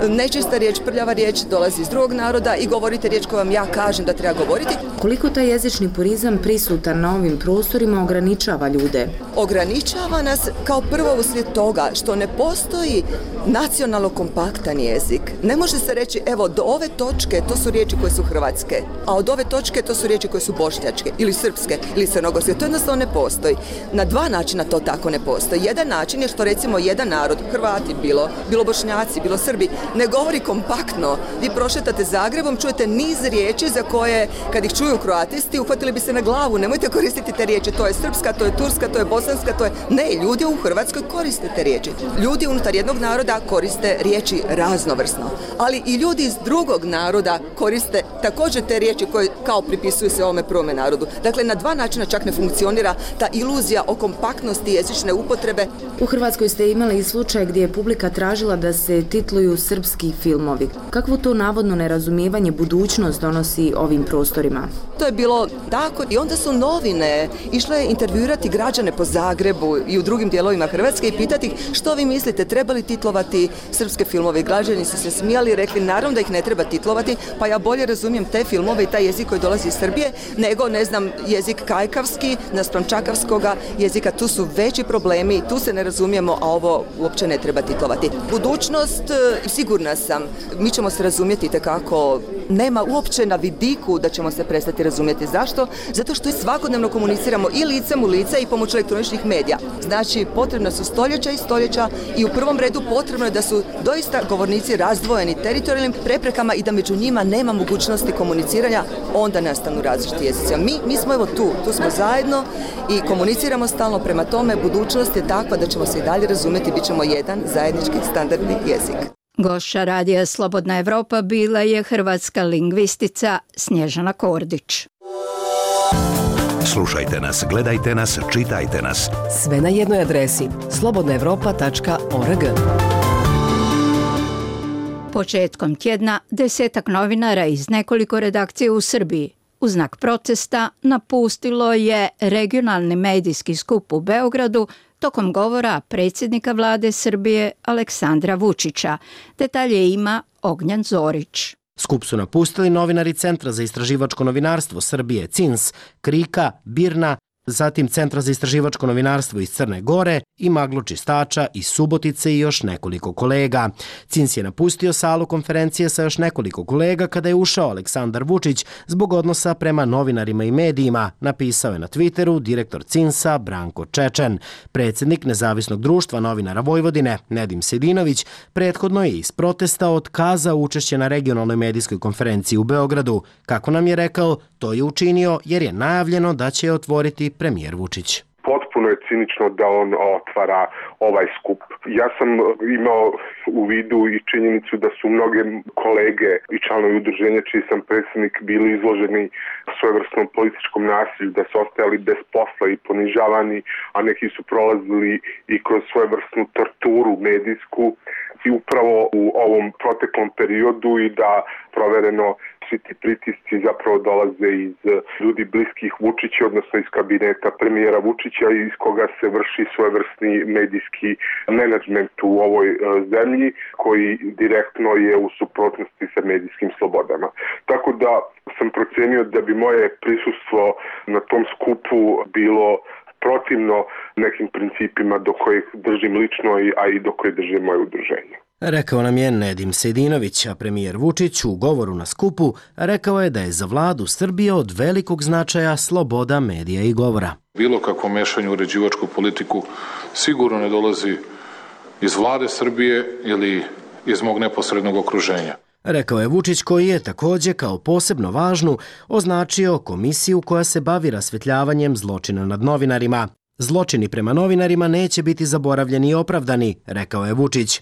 nečista riječ, prljava riječ, dolazi iz drugog naroda i govorite riječ koju vam ja kažem da treba govoriti. Koliko taj jezični purizam prisutan na ovim prostorima ograničava ljude? Ograničava nas kao prvo uslijed toga što ne postoji nacionalno kompaktan jezik. Ne može se reći, evo, do ove točke to su riječi koje su hrvatske, a od ove točke, to su riječi koje su bošnjačke ili srpske ili crnogorske. To jednostavno ne postoji. Na dva načina to tako ne postoji. Jedan način je što recimo jedan narod, Hrvati bilo, bilo Bošnjaci, bilo Srbi, ne govori kompaktno. Vi prošetate Zagrebom, čujete niz riječi za koje, kad ih čuju kroatisti, uhvatili bi se na glavu. Nemojte koristiti te riječi, to je srpska, to je turska, to je bosanska, to je... Ne, ljudi u Hrvatskoj koriste te riječi. Ljudi unutar jednog naroda koriste riječi raznovrsno. Ali i ljudi iz drugog naroda koriste također te riječi koje kao pripisuju se ovome prvome narodu. Dakle, na dva načina čak ne funkcionira ta iluzija o kompaktnosti jezične upotrebe. U Hrvatskoj ste imali i slučaj gdje je publika tražila da se titluju srpski filmovi. Kakvo to navodno nerazumijevanje budućnost donosi ovim prostorima? To je bilo tako i onda su novine išle intervjuirati građane po Zagrebu i u drugim dijelovima Hrvatske i pitati ih što vi mislite, treba li titlovati srpske filmove. Građani su se smijali i rekli naravno da ih ne treba titlovati, pa ja bolje razumijem te filmove i taj jezik koji dolazi iz Srbije nego, ne znam, jezik kajkavski naspram čakavskoga jezika. Tu su veći problemi, tu se ne razumijemo, a ovo uopće ne treba titlovati. Budućnost, sigurna sam, mi ćemo se razumjeti tekako, nema uopće na vidiku da ćemo se prestati razumjeti. Zašto? Zato što svakodnevno komuniciramo i licem u lice i pomoću elektroničnih medija. Znači, potrebna su stoljeća i stoljeća i u prvom redu potrebno je da su doista govornici razdvojeni teritorijalnim preprekama i da među njima nema mogućnosti komuniciranja, onda nastanu različiti jezici. Mi, mi smo evo tu, tu smo zajedno i komuniciramo stalno, prema tome budućnost je takva da ćemo se i dalje razumjeti, bit ćemo jedan zajednički standardni jezik. Gošća Radija Slobodna Evropa bila je hrvatska lingvistica Snježana Kordić. Slušajte nas, gledajte nas, čitajte nas. Sve na jednoj adresi slobodna evropa tačka org. Početkom tjedna desetak novinara iz nekoliko redakcija u Srbiji u znak protesta napustilo je regionalni medijski skup u Beogradu tokom govora predsjednika vlade Srbije Aleksandra Vučića. Detalje ima Ognjan Zorić. Skup su napustili novinari Centra za istraživačko novinarstvo Srbije C I N S, Krika, Birna, zatim Centra za istraživačko novinarstvo iz Crne Gore i Maglo Čistača iz Subotice i još nekoliko kolega. C I N S je napustio salu konferencije sa još nekoliko kolega kada je ušao Aleksandar Vučić zbog odnosa prema novinarima i medijima, napisao je na Twitteru direktor C I N S-a Branko Čečen. Predsjednik Nezavisnog društva novinara Vojvodine, Nedim Sedinović, prethodno je iz protesta otkazao učešće na regionalnoj medijskoj konferenciji u Beogradu. Kako nam je rekao, to je učinio jer je najavljeno da će otvoriti premijer Vučić. Potpuno je cinično da on otvara ovaj skup. Ja sam imao u vidu i činjenicu da su mnoge kolege i članovi udruženja čiji sam predsjednik bili izloženi svojevrsnom političkom nasilju, da su ostajali bez posla i ponižavani, a neki su prolazili i kroz svojevrsnu torturu medijsku i upravo u ovom proteklom periodu i da provereno svi ti pritisci zapravo dolaze iz ljudi bliskih Vučića, odnosno iz kabineta premijera Vučića iz koga se vrši svojevrsni medijski menadžment u ovoj zemlji koji direktno je u suprotnosti sa medijskim slobodama. Tako da sam procenio da bi moje prisustvo na tom skupu bilo protivno nekim principima do kojih držim lično, a i do kojih drži moje udruženje. Rekao nam je Nedim Sedinović, a premijer Vučić u govoru na skupu rekao je da je za vladu Srbije od velikog značaja sloboda medija i govora. Bilo kakvo mešanje u uređivačku politiku sigurno ne dolazi iz vlade Srbije ili iz mog neposrednog okruženja. Rekao je Vučić, koji je također kao posebno važnu označio komisiju koja se bavi rasvjetljavanjem zločina nad novinarima. Zločini prema novinarima neće biti zaboravljeni i opravdani, rekao je Vučić.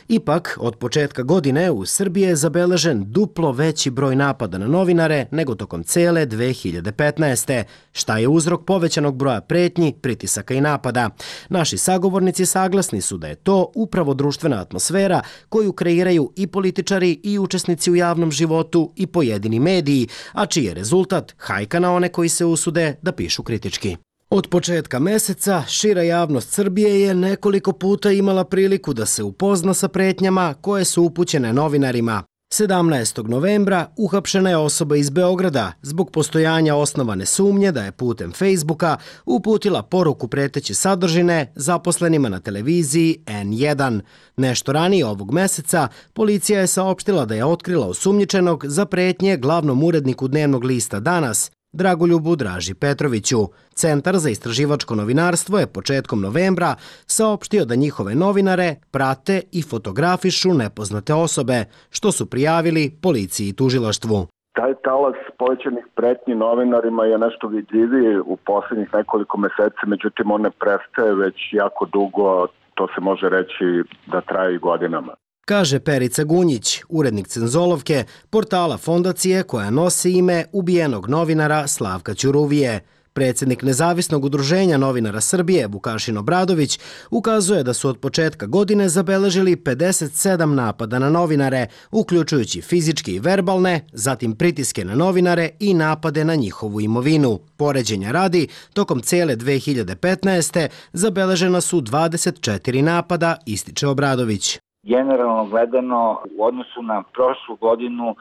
Ipak, od početka godine u Srbiji je zabeležen duplo veći broj napada na novinare nego tokom cele dve hiljade petnaeste. Šta je uzrok povećanog broja pretnji, pritisaka i napada? Naši sagovornici saglasni su da je to upravo društvena atmosfera koju kreiraju i političari i učesnici u javnom životu i pojedini mediji, a čiji je rezultat hajka na one koji se usude da pišu kritički. Od početka meseca šira javnost Srbije je nekoliko puta imala priliku da se upozna sa pretnjama koje su upućene novinarima. sedamnaestog novembra uhapšena je osoba iz Beograda zbog postojanja osnovane sumnje da je putem Facebooka uputila poruku preteće sadržine zaposlenima na televiziji en jedan. Nešto ranije ovog meseca policija je saopštila da je otkrila osumnjičenog za pretnje glavnom uredniku dnevnog lista Danas, Dragoljubu Draži Petroviću. Centar za istraživačko novinarstvo je početkom novembra saopštio da njihove novinare prate i fotografišu nepoznate osobe, što su prijavili policiji i tužilaštvu. Taj talas povećanih pretnji novinarima je nešto vidljiviji u posljednjih nekoliko meseci, međutim on ne prestaje već jako dugo, to se može reći da traje i godinama. Kaže Perica Gunjić, urednik Cenzolovke, portala fondacije koja nosi ime ubijenog novinara Slavka Ćuruvije. Predsjednik Nezavisnog udruženja novinara Srbije, Vukašin Obradović, ukazuje da su od početka godine zabeležili pedeset sedam napada na novinare, uključujući fizičke i verbalne, zatim pritiske na novinare i napade na njihovu imovinu. Poređenja radi, tokom cele dve hiljade petnaeste. zabeležena su dvadeset četiri napada, ističe Obradović. Generalno gledano, u odnosu na prošlu godinu,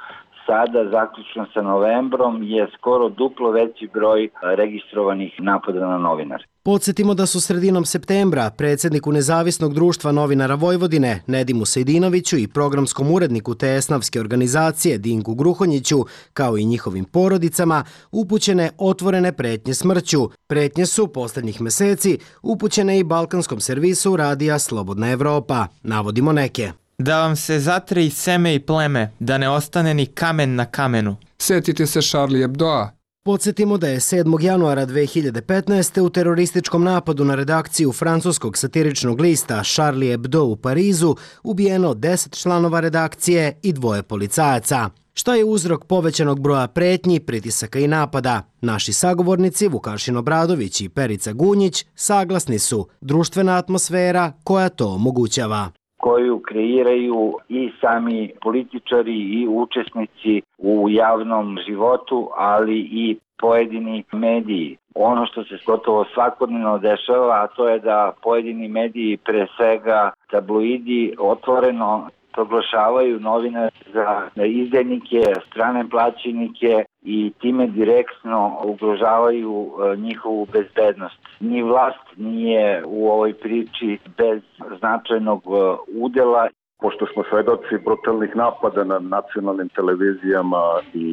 sada, zaključno sa novembrom, je skoro duplo veći broj registrovanih napada na novinare. Podsjetimo da su sredinom septembra predsjedniku Nezavisnog društva novinara Vojvodine, Nedimu Sejdinoviću i programskom uredniku te esnavske organizacije Dinku Gruhonjiću, kao i njihovim porodicama, upućene otvorene pretnje smrću. Pretnje su posljednjih meseci upućene i balkanskom servisu radija Slobodna Evropa. Navodimo neke. Da vam se zatre i seme i pleme, da ne ostane ni kamen na kamenu. Sjetite se Charlie Hebdoa. Podsjetimo da je sedmog januara dve hiljade petnaeste. u terorističkom napadu na redakciju francuskog satiričnog lista Charlie Hebdo u Parizu ubijeno deset članova redakcije i dvoje policajaca. Šta je uzrok povećanog broja pretnji, pritisaka i napada? Naši sagovornici Vukašin Obradović i Perica Gunjić saglasni su društvena atmosfera koja to omogućava, koju kreiraju i sami političari i učesnici u javnom životu, ali i pojedini mediji. Ono što se gotovo svakodnevno dešava, a to je da pojedini mediji, pre svega tabloidi, otvoreno proglašavaju novinare za izdajnike, strane plaćenike i time direktno ugrožavaju njihovu bezbednost. Ni vlast nije u ovoj priči bez značajnog udela. Pošto smo svedoci brutalnih napada na nacionalnim televizijama i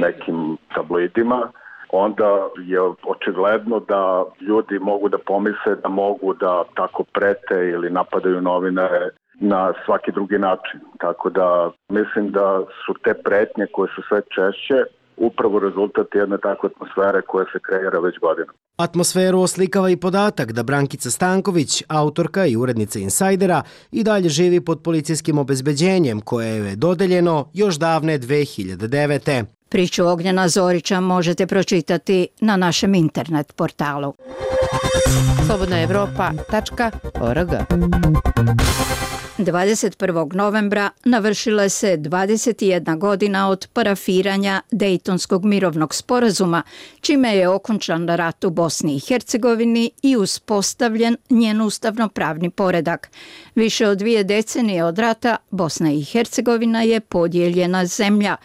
nekim tabloidima, onda je očigledno da ljudi mogu da pomisle da mogu da tako prete ili napadaju novinare na svaki drugi način. Tako da mislim da su te pretnje koje su sve češće upravo rezultat jedne takve atmosfere koja se kreira već godinama. Atmosferu oslikava i podatak da Brankica Stanković, autorka i urednica Insajdera, i dalje živi pod policijskim obezbeđenjem koje je dodeljeno još davne dve hiljade devete. Priču Ognjena Zorića možete pročitati na našem internet portalu slobodna evropa tačka org. dvadeset prvog novembra navršila se dvadeset jedna godina od parafiranja Dejtonskog mirovnog sporazuma, čime je okončan rat u Bosni i Hercegovini i uspostavljen njen ustavno-pravni poredak. Više od dvije decenije od rata Bosna i Hercegovina je podijeljena zemlja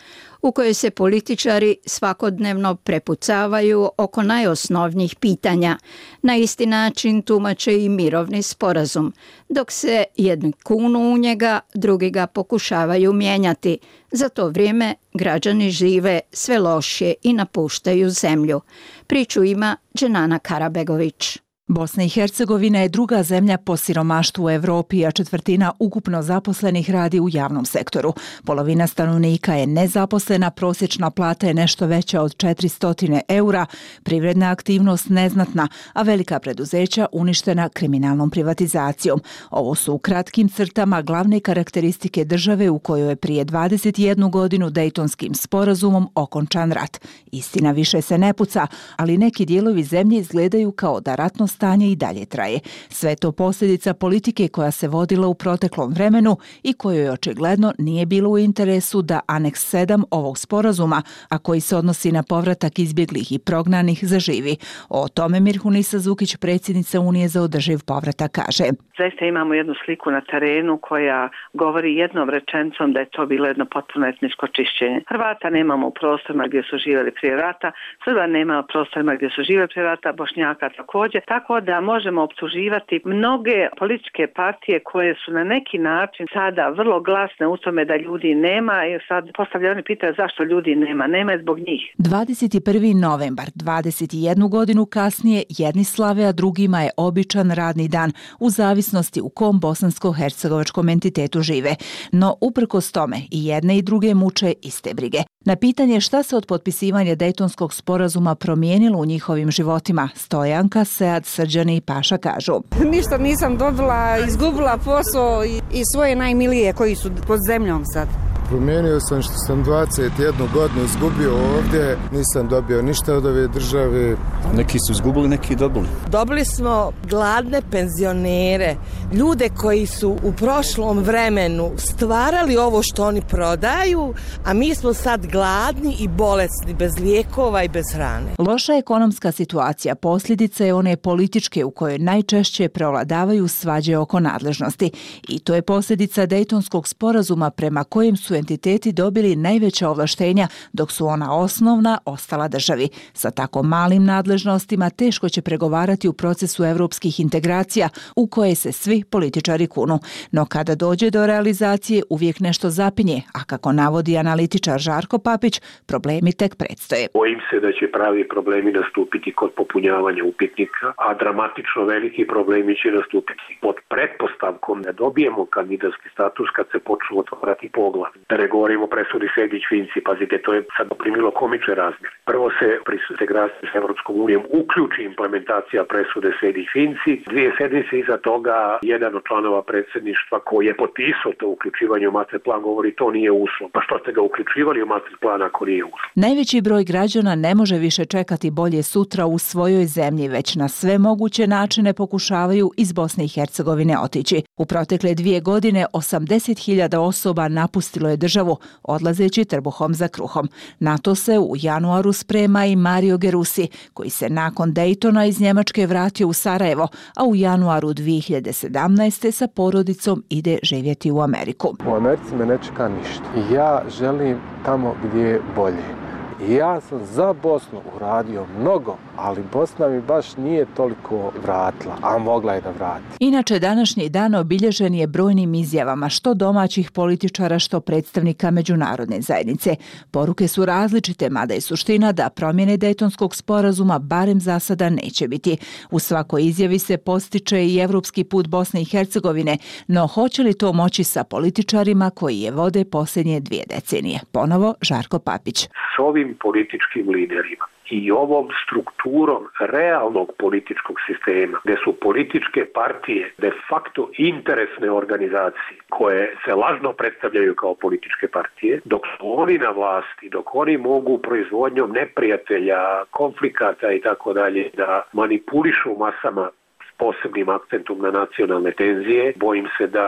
u kojoj se političari svakodnevno prepucavaju oko najosnovnijih pitanja. Na isti način tumače i mirovni sporazum. Dok se jedni kunu u njega, drugi ga pokušavaju mijenjati. Za to vrijeme građani žive sve lošije i napuštaju zemlju. Priču ima Dženana Karabegović. Bosna i Hercegovina je druga zemlja po siromaštvu u Evropi, a četvrtina ukupno zaposlenih radi u javnom sektoru. Polovina stanovnika je nezaposlena, prosječna plata je nešto veća od četiristo eura, privredna aktivnost neznatna, a velika preduzeća uništena kriminalnom privatizacijom. Ovo su u kratkim crtama glavne karakteristike države u kojoj je prije dvadeset jednu godinu Dejtonskim sporazumom okončan rat. Istina više se ne puca, ali neki dijelovi zemlje izgledaju kao da ratno stanje i dalje traje. Sve je to posljedica politike koja se vodila u proteklom vremenu i kojoj očigledno nije bilo u interesu da aneks sedam ovog sporazuma, a koji se odnosi na povratak izbjeglih i prognanih, zaživi. O tome Mirhunisa Zukić, predsjednica Unije za održiv povratak, kaže. Zaista imamo jednu sliku na terenu koja govori jednom rečenicom da je to bilo jedno potpuno etničko čišćenje. Hrvata nemamo u prostorima gdje su živjeli prije rata, Srba nema u prostorima gdje su živjeli prije rata, Bošnjaka također, tako da možemo optuživati mnoge političke partije koje su na neki način sada vrlo glasne u tome da ljudi nema i sad postavljaju oni pitaju zašto ljudi nema, nema je zbog njih. dvadeset prvi novembar, dvadeset jednu godinu kasnije, jedni slave, a drugima je običan radni dan, u zavisnosti u kom bosansko-hercegovačkom entitetu žive. No, uprkos tome, i jedne i druge muče iste brige. Na pitanje šta se od potpisivanja Dejtonskog sporazuma promijenilo u njihovim životima, Stojanka, Sead, Srđani i Paša kažu. Ništa nisam dobila, izgubila posao i, i svoje najmilije koji su pod zemljom sad. Promijenio sam što sam dvadeset jednu godinu izgubio ovdje, nisam dobio ništa od ove države. Neki su izgubili, neki dobili. Dobili smo gladne penzionere, ljude koji su u prošlom vremenu stvarali ovo što oni prodaju, a mi smo sad gladni i bolesni, bez lijekova i bez hrane. Loša ekonomska situacija posljedica je one političke u kojoj najčešće prevladavaju svađe oko nadležnosti. I to je posljedica Dejtonskog sporazuma prema kojem su entiteti dobili najveća ovlaštenja, dok su ona osnovna ostala državi. Sa tako malim nadležnostima teško će pregovarati u procesu evropskih integracija u koje se svi političari kunu. No kada dođe do realizacije uvijek nešto zapinje, a kako navodi analitičar Žarko Papić, problemi tek predstoje. Bojim se da će pravi problemi nastupiti kod popunjavanja upitnika, a dramatično veliki problemi će nastupiti pod pretpostavkom da dobijemo kandidatski status kad se počnu otvarati poglavlja. Da ne govorimo o presudi Sejdić-Finci, pazite, to je sad primilo komične razmjere. Prvo se pri integraciji s Evropskom unijom uključi implementacija presude Sejdić-Finci. Dvije sedmice iza toga jedan od članova predsjedništva koji je potpisao to uključivanje u master plan govori to nije uslov. Pa što ste ga uključivali u master plan ako nije uslov? Najveći broj građana ne može više čekati bolje sutra u svojoj zemlji, već na sve moguće načine pokušavaju iz Bosne i Hercegovine otići. U protekle dvije godine osamdeset hiljada osoba napustilo je državu, odlazeći trbuhom za kruhom. Na to se u januaru sprema i Mario Gerusi, koji se nakon Dejtona iz Njemačke vratio u Sarajevo, a u januaru dvije hiljade sedamnaeste. sa porodicom ide živjeti u Ameriku. U Americi me ne čeka ništa. Ja želim tamo gdje je bolje. Ja sam za Bosnu uradio mnogo, ali Bosna mi baš nije toliko vratila, a mogla je da vrati. Inače, današnji dan obilježen je brojnim izjavama što domaćih političara, što predstavnika međunarodne zajednice. Poruke su različite, mada je suština da promjene Dejtonskog sporazuma barem za sada neće biti. U svakoj izjavi se postiče i evropski put Bosne i Hercegovine, no hoće li to moći sa političarima koji je vode posljednje dvije decenije? Ponovo Žarko Papić. S ovim političkim liderima i ovom strukturom realnog političkog sistema, gdje su političke partije de facto interesne organizacije koje se lažno predstavljaju kao političke partije, dok su oni na vlasti, dok oni mogu proizvodnjom neprijatelja, konflikata i tako dalje da manipulišu masama s posebnim akcentom na nacionalne tenzije, bojim se da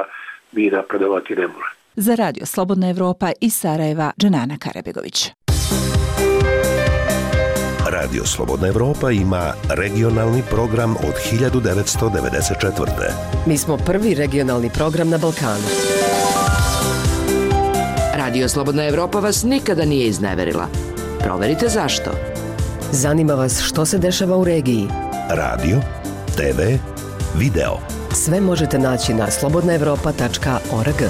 mi napredovati ne može. Za Radio Slobodna Evropa iz Sarajeva, Dženana Karabegović. Radio Slobodna Evropa ima regionalni program od hiljadu devetsto devedeset četvrte. Mi smo prvi regionalni program na Balkanu. Radio Slobodna Evropa vas nikada nije izneverila. Proverite zašto. Zanima vas što se dešava u regiji. Radio, te ve, video. Sve možete naći na slobodna evropa tačka org.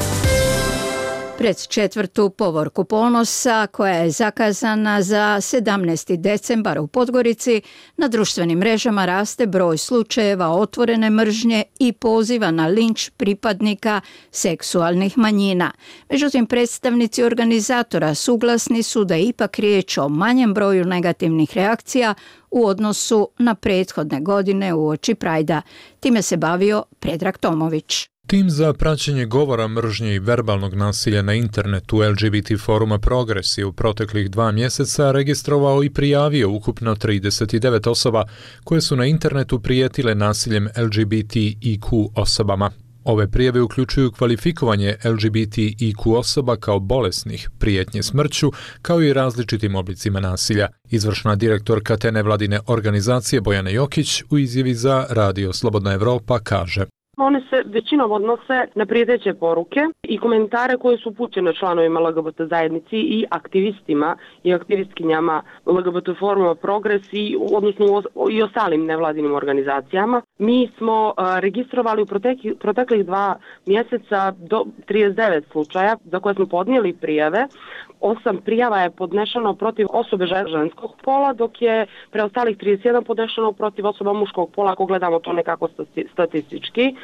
Pred četvrtu povorku ponosa, koja je zakazana za sedamnaesti decembar u Podgorici, na društvenim mrežama raste broj slučajeva otvorene mržnje i poziva na linč pripadnika seksualnih manjina. Međutim, predstavnici organizatora suglasni su da je ipak riječ o manjem broju negativnih reakcija u odnosu na prethodne godine uoči Prajda. Time se bavio Predrag Tomović. Tim za praćenje govora mržnje i verbalnog nasilja na internetu L G B T foruma Progres je u proteklih dva mjeseca registrovao i prijavio ukupno trideset devet osoba koje su na internetu prijetile nasiljem L G B T I Q osobama. Ove prijave uključuju kvalifikovanje L G B T I Q osoba kao bolesnih, prijetnje smrću, kao i različitim oblicima nasilja. Izvršna direktorka te nevladine organizacije Bojana Jokić u izjavi za Radio Slobodna Evropa kaže: One se većinom odnose na prijeteće poruke i komentare koje su upućene članovima L G B T zajednici i aktivistima i aktivistkinjama L G B T foruma Progres i, odnosno i ostalim nevladinim organizacijama. Mi smo a, registrovali u protekli, proteklih dva mjeseca do trideset devet slučaja za koje smo podnijeli prijave. Osam prijava je podnešeno protiv osobe ženskog pola, dok je preostalih trideset jedan podnešeno protiv osoba muškog pola, ako gledamo to nekako statistički.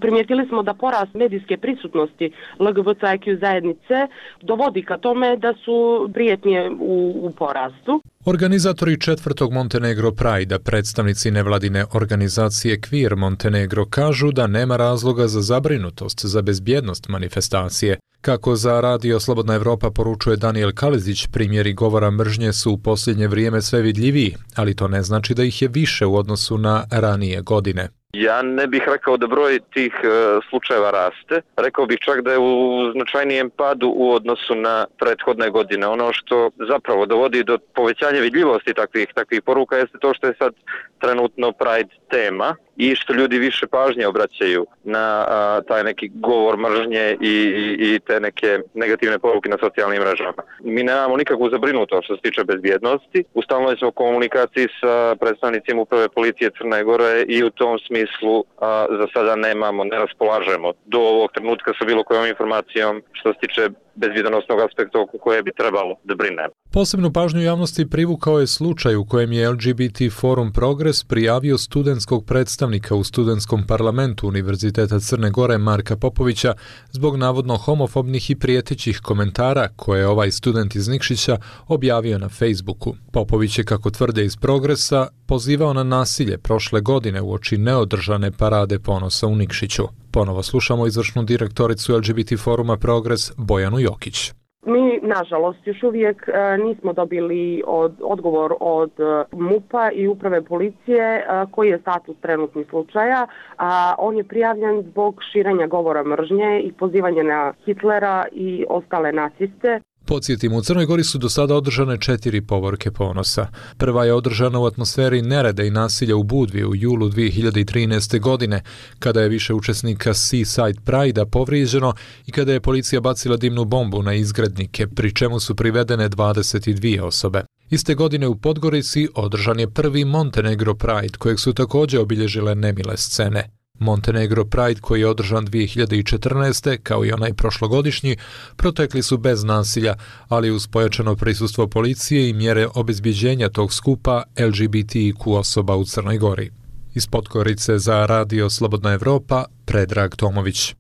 Primijetili smo da porast medijske prisutnosti L G B T I Q zajednice dovodi ka tome da su prijetnje u, u porastu. Organizatori četvrtog Montenegro Pride-a, predstavnici nevladine organizacije Queer Montenegro, kažu da nema razloga za zabrinutost za bezbjednost manifestacije. Kako za Radio Slobodna Evropa poručuje Daniel Kalezić, primjeri govora mržnje su u posljednje vrijeme sve vidljiviji, ali to ne znači da ih je više u odnosu na ranije godine. Ja ne bih rekao da broj tih e, slučajeva raste. Rekao bih čak da je u značajnijem padu u odnosu na prethodne godine. Ono što zapravo dovodi do povećanja vidljivosti takvih takvih poruka jeste to što je sad trenutno Pride tema i što ljudi više pažnje obraćaju na a, taj neki govor mržnje i, i, i te neke negativne poruke na socijalnim mrežama. Mi nemamo nikakvu zabrinutost što se tiče bezbjednosti. U stalnoj smo komunikaciji sa predstavnicima uprave policije Crne Gore i u tom smislu a, za sada nemamo, ne raspolažemo do ovog trenutka sa bilo kojom informacijom što se tiče bezbjednosnog aspekta oko koje bi trebalo da brinemo. Posebnu pažnju javnosti privukao je slučaj u kojem je L G B T Forum Progres prijavio studentskog predstavnika u studentskom parlamentu Univerziteta Crne Gore Marka Popovića zbog navodno homofobnih i prijetećih komentara koje je ovaj student iz Nikšića objavio na Facebooku. Popović je, kako tvrde iz Progresa, pozivao na nasilje prošle godine uoči neodržane parade ponosa u Nikšiću. Ponovo slušamo izvršnu direktoricu L G B T Foruma Progres Bojanu Jokić. Mi, nažalost, još uvijek e, nismo dobili od, odgovor od e, M U P-a i uprave policije e, koji je status trenutnih slučaja. A on je prijavljen zbog širenja govora mržnje i pozivanja na Hitlera i ostale naciste. Podsjetimo, u Crnoj Gori su do sada održane četiri povorke ponosa. Prva je održana u atmosferi nereda i nasilja u Budvi u julu dvije hiljade trinaeste. godine, kada je više učesnika Seaside Pride-a povrijeđeno i kada je policija bacila dimnu bombu na izgrednike, pri čemu su privedene dvadeset dvije osobe. Iste godine u Podgorici održan je prvi Montenegro Pride, kojeg su također obilježile nemile scene. Montenegro Pride, koji je održan dvije hiljade četrnaeste. kao i onaj prošlogodišnji, protekli su bez nasilja, ali uz pojačano prisustvo policije i mjere obezbjeđenja tog skupa L G B T I Q osoba u Crnoj Gori. Iz Podgorice za Radio Slobodna Evropa, Predrag Tomović.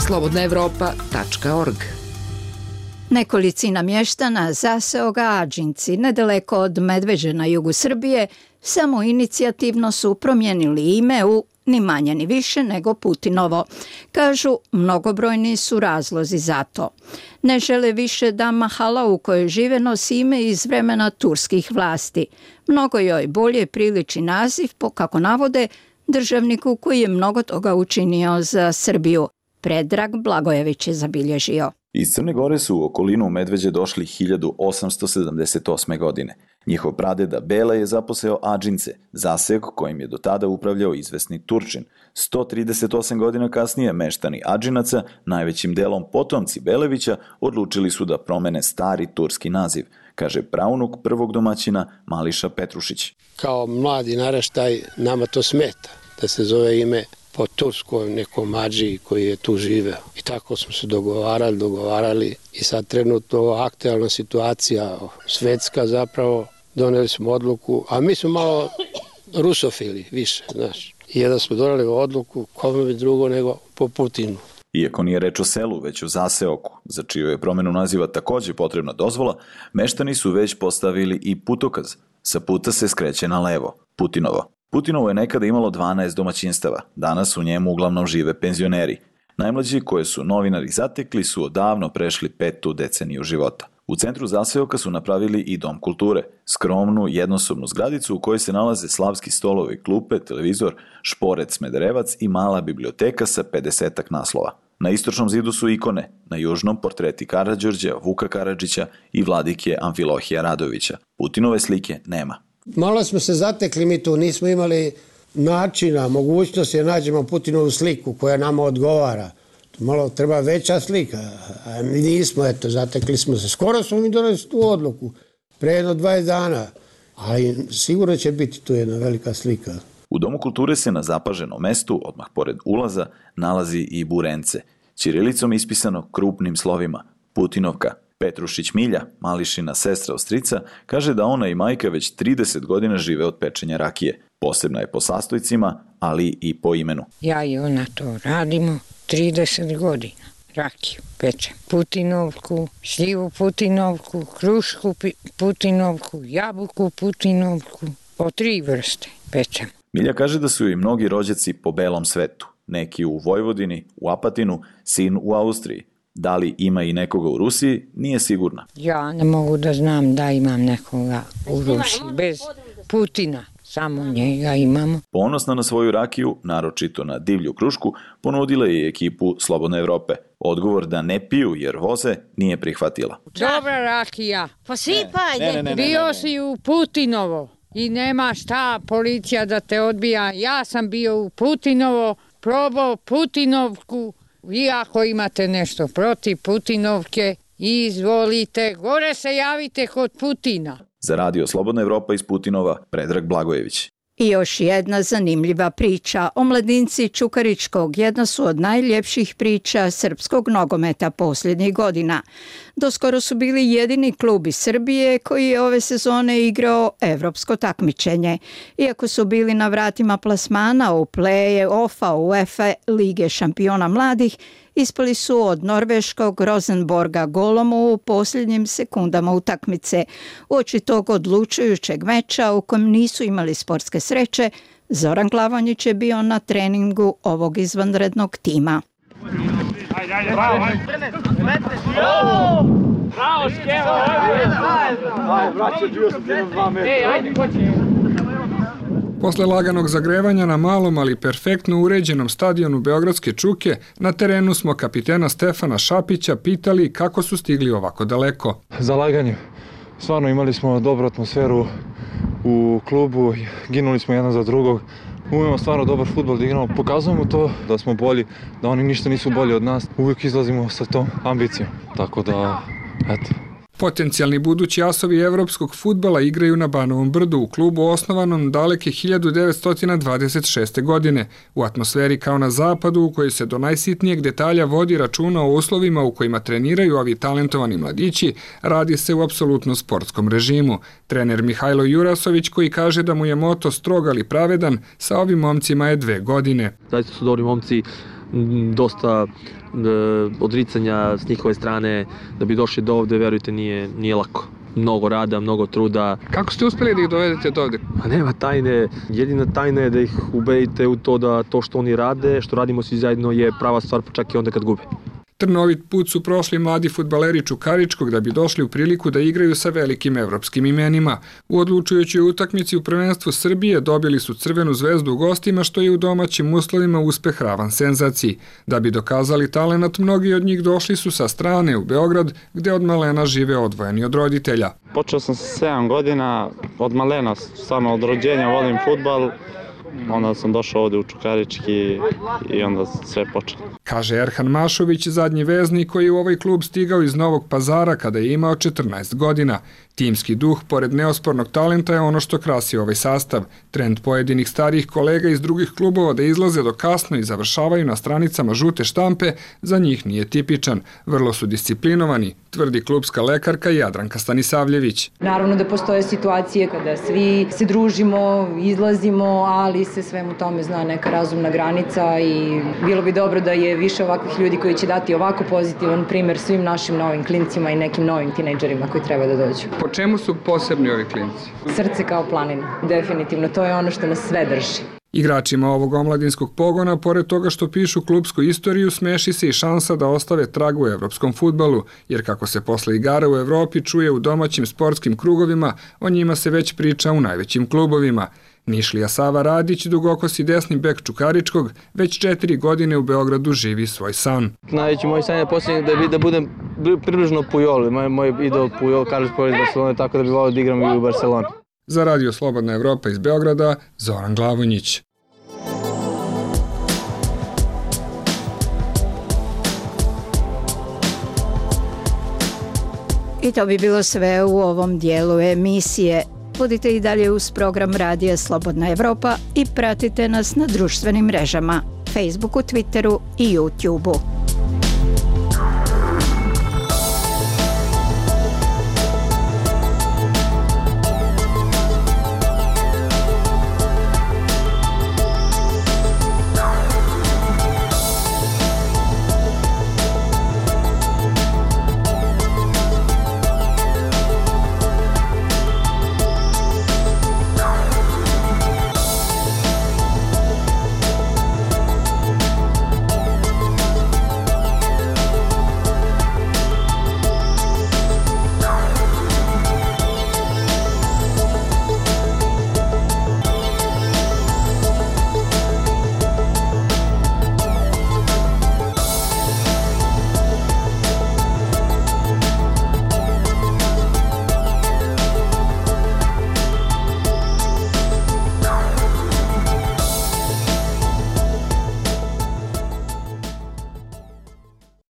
slobodna evropa tačka org. Nekolicina mještana zaseo ga Ađinci, nedaleko od Medveđe na jugu Srbije, samo inicijativno su promijenili ime u ni manje ni više nego Putinovo. Kažu, mnogobrojni su razlozi za to. Ne žele više da mahala u kojoj žive nosi ime iz vremena turskih vlasti. Mnogo joj bolje priliči naziv, po kako navode, državniku koji je mnogo toga učinio za Srbiju. Predrag Blagojević je zabilježio. Iz Crne Gore su u okolinu Medveđe došli hiljadu osamsto sedamdeset osme. godine. Njihov pradeda Bela je zaposeo Ađince, zasek kojim je do tada upravljao izvesni Turčin. sto trideset osam godina kasnije meštani Ađinaca, najvećim delom potomci Belevića, odlučili su da promene stari turski naziv, kaže praunuk prvog domaćina Mališa Petrušić. Kao mladi naraštaj nama to smeta da se zove ime po turskoj nekom Adžiji koji je tu živeo. I tako smo se dogovarali, dogovarali i sad trenutno aktualna situacija, svetska zapravo, doneli smo odluku, a mi smo malo rusofili više, znaš. I jedan smo doneli odluku, kome bi drugo nego po Putinu. Iako nije reč o selu, već o zaseoku, za čiju je promjenu naziva također potrebna dozvola, meštani su već postavili i putokaz. Sa puta se skreće na levo, Putinovo. Putinovo je nekada imalo dvanaest domaćinstava, danas u njemu uglavnom žive penzioneri. Najmlađi koje su novinari zatekli su odavno prešli petu deceniju života. U centru zaseoka su napravili i dom kulture, skromnu jednosobnu zgradicu u kojoj se nalaze slavski stolovi, klupe, televizor, šporet Smederevac i mala biblioteka sa pedesetak naslova. Na istočnom zidu su ikone, na južnom portreti Karađorđa, Vuka Karadžića i vladike Amfilohija Radovića. Putinove slike nema. Malo smo se zatekli mi tu, nismo imali načina, mogućnosti da nađemo Putinovu sliku koja nama odgovara. Malo treba veća slika, a nismo, eto, zatekli smo se. Skoro smo mi doneli tu odluku, pre jedno dvadeset dana, ali sigurno će biti tu jedna velika slika. U Domu kulture se na zapaženom mestu, odmah pored ulaza, nalazi i burence, ćirilicom ispisano krupnim slovima, Putinovka. Petrušić Milja, Mališina sestra od strica, kaže da ona i majka već trideset godina žive od pečenja rakije. Posebna je po sastojcima, ali i po imenu. Ja i ona to radimo trideset godina. Rakiju pečem. Putinovku, šljivu Putinovku, krušku Putinovku, jabuku Putinovku. Po tri vrste pečem. Milja kaže da su i mnogi rođaci po belom svetu. Neki u Vojvodini, u Apatinu, sin u Austriji. Da li ima i nekoga u Rusiji, nije sigurna. Ja ne mogu da znam da imam nekoga u Rusiji. Bez Putina, samo njega imamo. Ponosna na svoju rakiju, naročito na divlju krušku, ponudila je i ekipu Slobodne Evrope. Odgovor da ne piju jer voze nije prihvatila. Dobra rakija. Posipaj. Ne, ne, ne, bio si u Putinovo i nema šta policija da te odbija. Ja sam bio u Putinovo, probao Putinovku. Vi ako imate nešto protiv Putinovke, izvolite, gore se javite kod Putina. Za radio Slobodna Evropa iz Putinova, Predrag Blagojević. I još jedna zanimljiva priča. Omladinci Čukaričkog jedna su od najljepših priča srpskog nogometa posljednjih godina. Doskoro su bili jedini klub iz Srbije koji je ove sezone igrao evropsko takmičenje. Iako su bili na vratima plasmana u play-offa UEFA Lige šampiona mladih, ispali su od norveškog Rosenborga golom u posljednjim sekundama utakmice. Uoči tog odlučujućeg meča u kojem nisu imali sportske sreće, Zoran Glavonjić je bio na treningu ovog izvanrednog tima. Ajde, ajde, bravo, ajde. Bravo, Škeva, ajde, braće, bio sam jedan dva metra. Ej, ajde, ko će? Posle laganog zagrevanja na malom, ali perfektno uređenom stadionu Beogradske Čuke, na terenu smo kapitena Stefana Šapića pitali kako su stigli ovako daleko. Zalaganje. Stvarno imali smo dobru atmosferu u klubu, ginuli smo jedan za drugog. Umemo stvarno dobar fudbal da igramo, pokazujemo to da smo bolji, da oni ništa nisu bolji od nas. Uvijek izlazimo sa tom ambicijom, tako da, eto. Potencijalni budući asovi evropskog fudbala igraju na Banovom brdu u klubu osnovanom daleke hiljadu devetsto dvadeset šeste. godine, u atmosferi kao na zapadu u kojoj se do najsitnijeg detalja vodi računa o uslovima u kojima treniraju ovi talentovani mladići, radi se u apsolutno sportskom režimu. Trener Mihajlo Jurasović, koji kaže da mu je moto strog ali pravedan, sa ovim momcima je dve godine. Zaista su dobri momci, dosta odricanja s njihove strane, da bi došli do ovde, verujte, nije, nije lako. Mnogo rada, mnogo truda. Kako ste uspeli da ih dovedete do ovde? Pa nema tajne, jedina tajna je da ih ubedite u to da to što oni rade, što radimo svi zajedno je prava stvar, pa čak i onda kad gube. Trnovit put su prošli mladi fudbaleri Čukaričkog da bi došli u priliku da igraju sa velikim evropskim imenima. U odlučujućoj utakmici u prvenstvu Srbije dobili su Crvenu zvezdu u gostima, što je u domaćim uslovima uspeh ravan senzaciji. Da bi dokazali talenat, mnogi od njih došli su sa strane u Beograd, gde od malena žive odvojeni od roditelja. Počeo sam sa sedam godina, od malena, stvarno od rođenja volim fudbal. Onda sam došao ovde u Čukarički i onda sve počelo. Kaže Erhan Mašović, zadnji veznik koji je u ovaj klub stigao iz Novog Pazara kada je imao četrnaest godina. Timski duh, pored neospornog talenta, je ono što krasi ovaj sastav. Trend pojedinih starijih kolega iz drugih klubova da izlaze do kasno i završavaju na stranicama žute štampe, za njih nije tipičan. Vrlo su disciplinovani, tvrdi klubska lekarka Jadranka Stanisavljević. Naravno da postoje situacije kada svi se družimo, izlazimo, ali se svemu tome zna neka razumna granica i bilo bi dobro da je više ovakvih ljudi koji će dati ovako pozitivan primer svim našim novim klincima i nekim novim tinejdžerima koji treba da dođu. Po čemu su posebni ovi klinci? Srce kao planina, definitivno, to je ono što nas sve drži. Igračima ovog omladinskog pogona, pored toga što pišu klupsku istoriju, smeši se i šansa da ostave trag u evropskom fudbalu, jer kako se posle igara u Evropi čuje u domaćim sportskim krugovima, o njima se već priča u najvećim klubovima. Nišlija Sava Radić, dugokosi desni bek Čukaričkog, već četiri godine u Beogradu živi svoj san. Najveći moj san je posljednji da, da budem približno Pujol, moj, moj idol Pujol, Carlos Pujol iz Barcelone, tako da bi volio da igram i u Barceloni. Za Radio Slobodna Evropa iz Beograda, Zoran Glavonjić. I to bi bilo sve u ovom dijelu emisije. Budite i dalje uz program Radija Slobodna Evropa i pratite nas na društvenim mrežama, Facebooku, Twitteru i YouTubeu.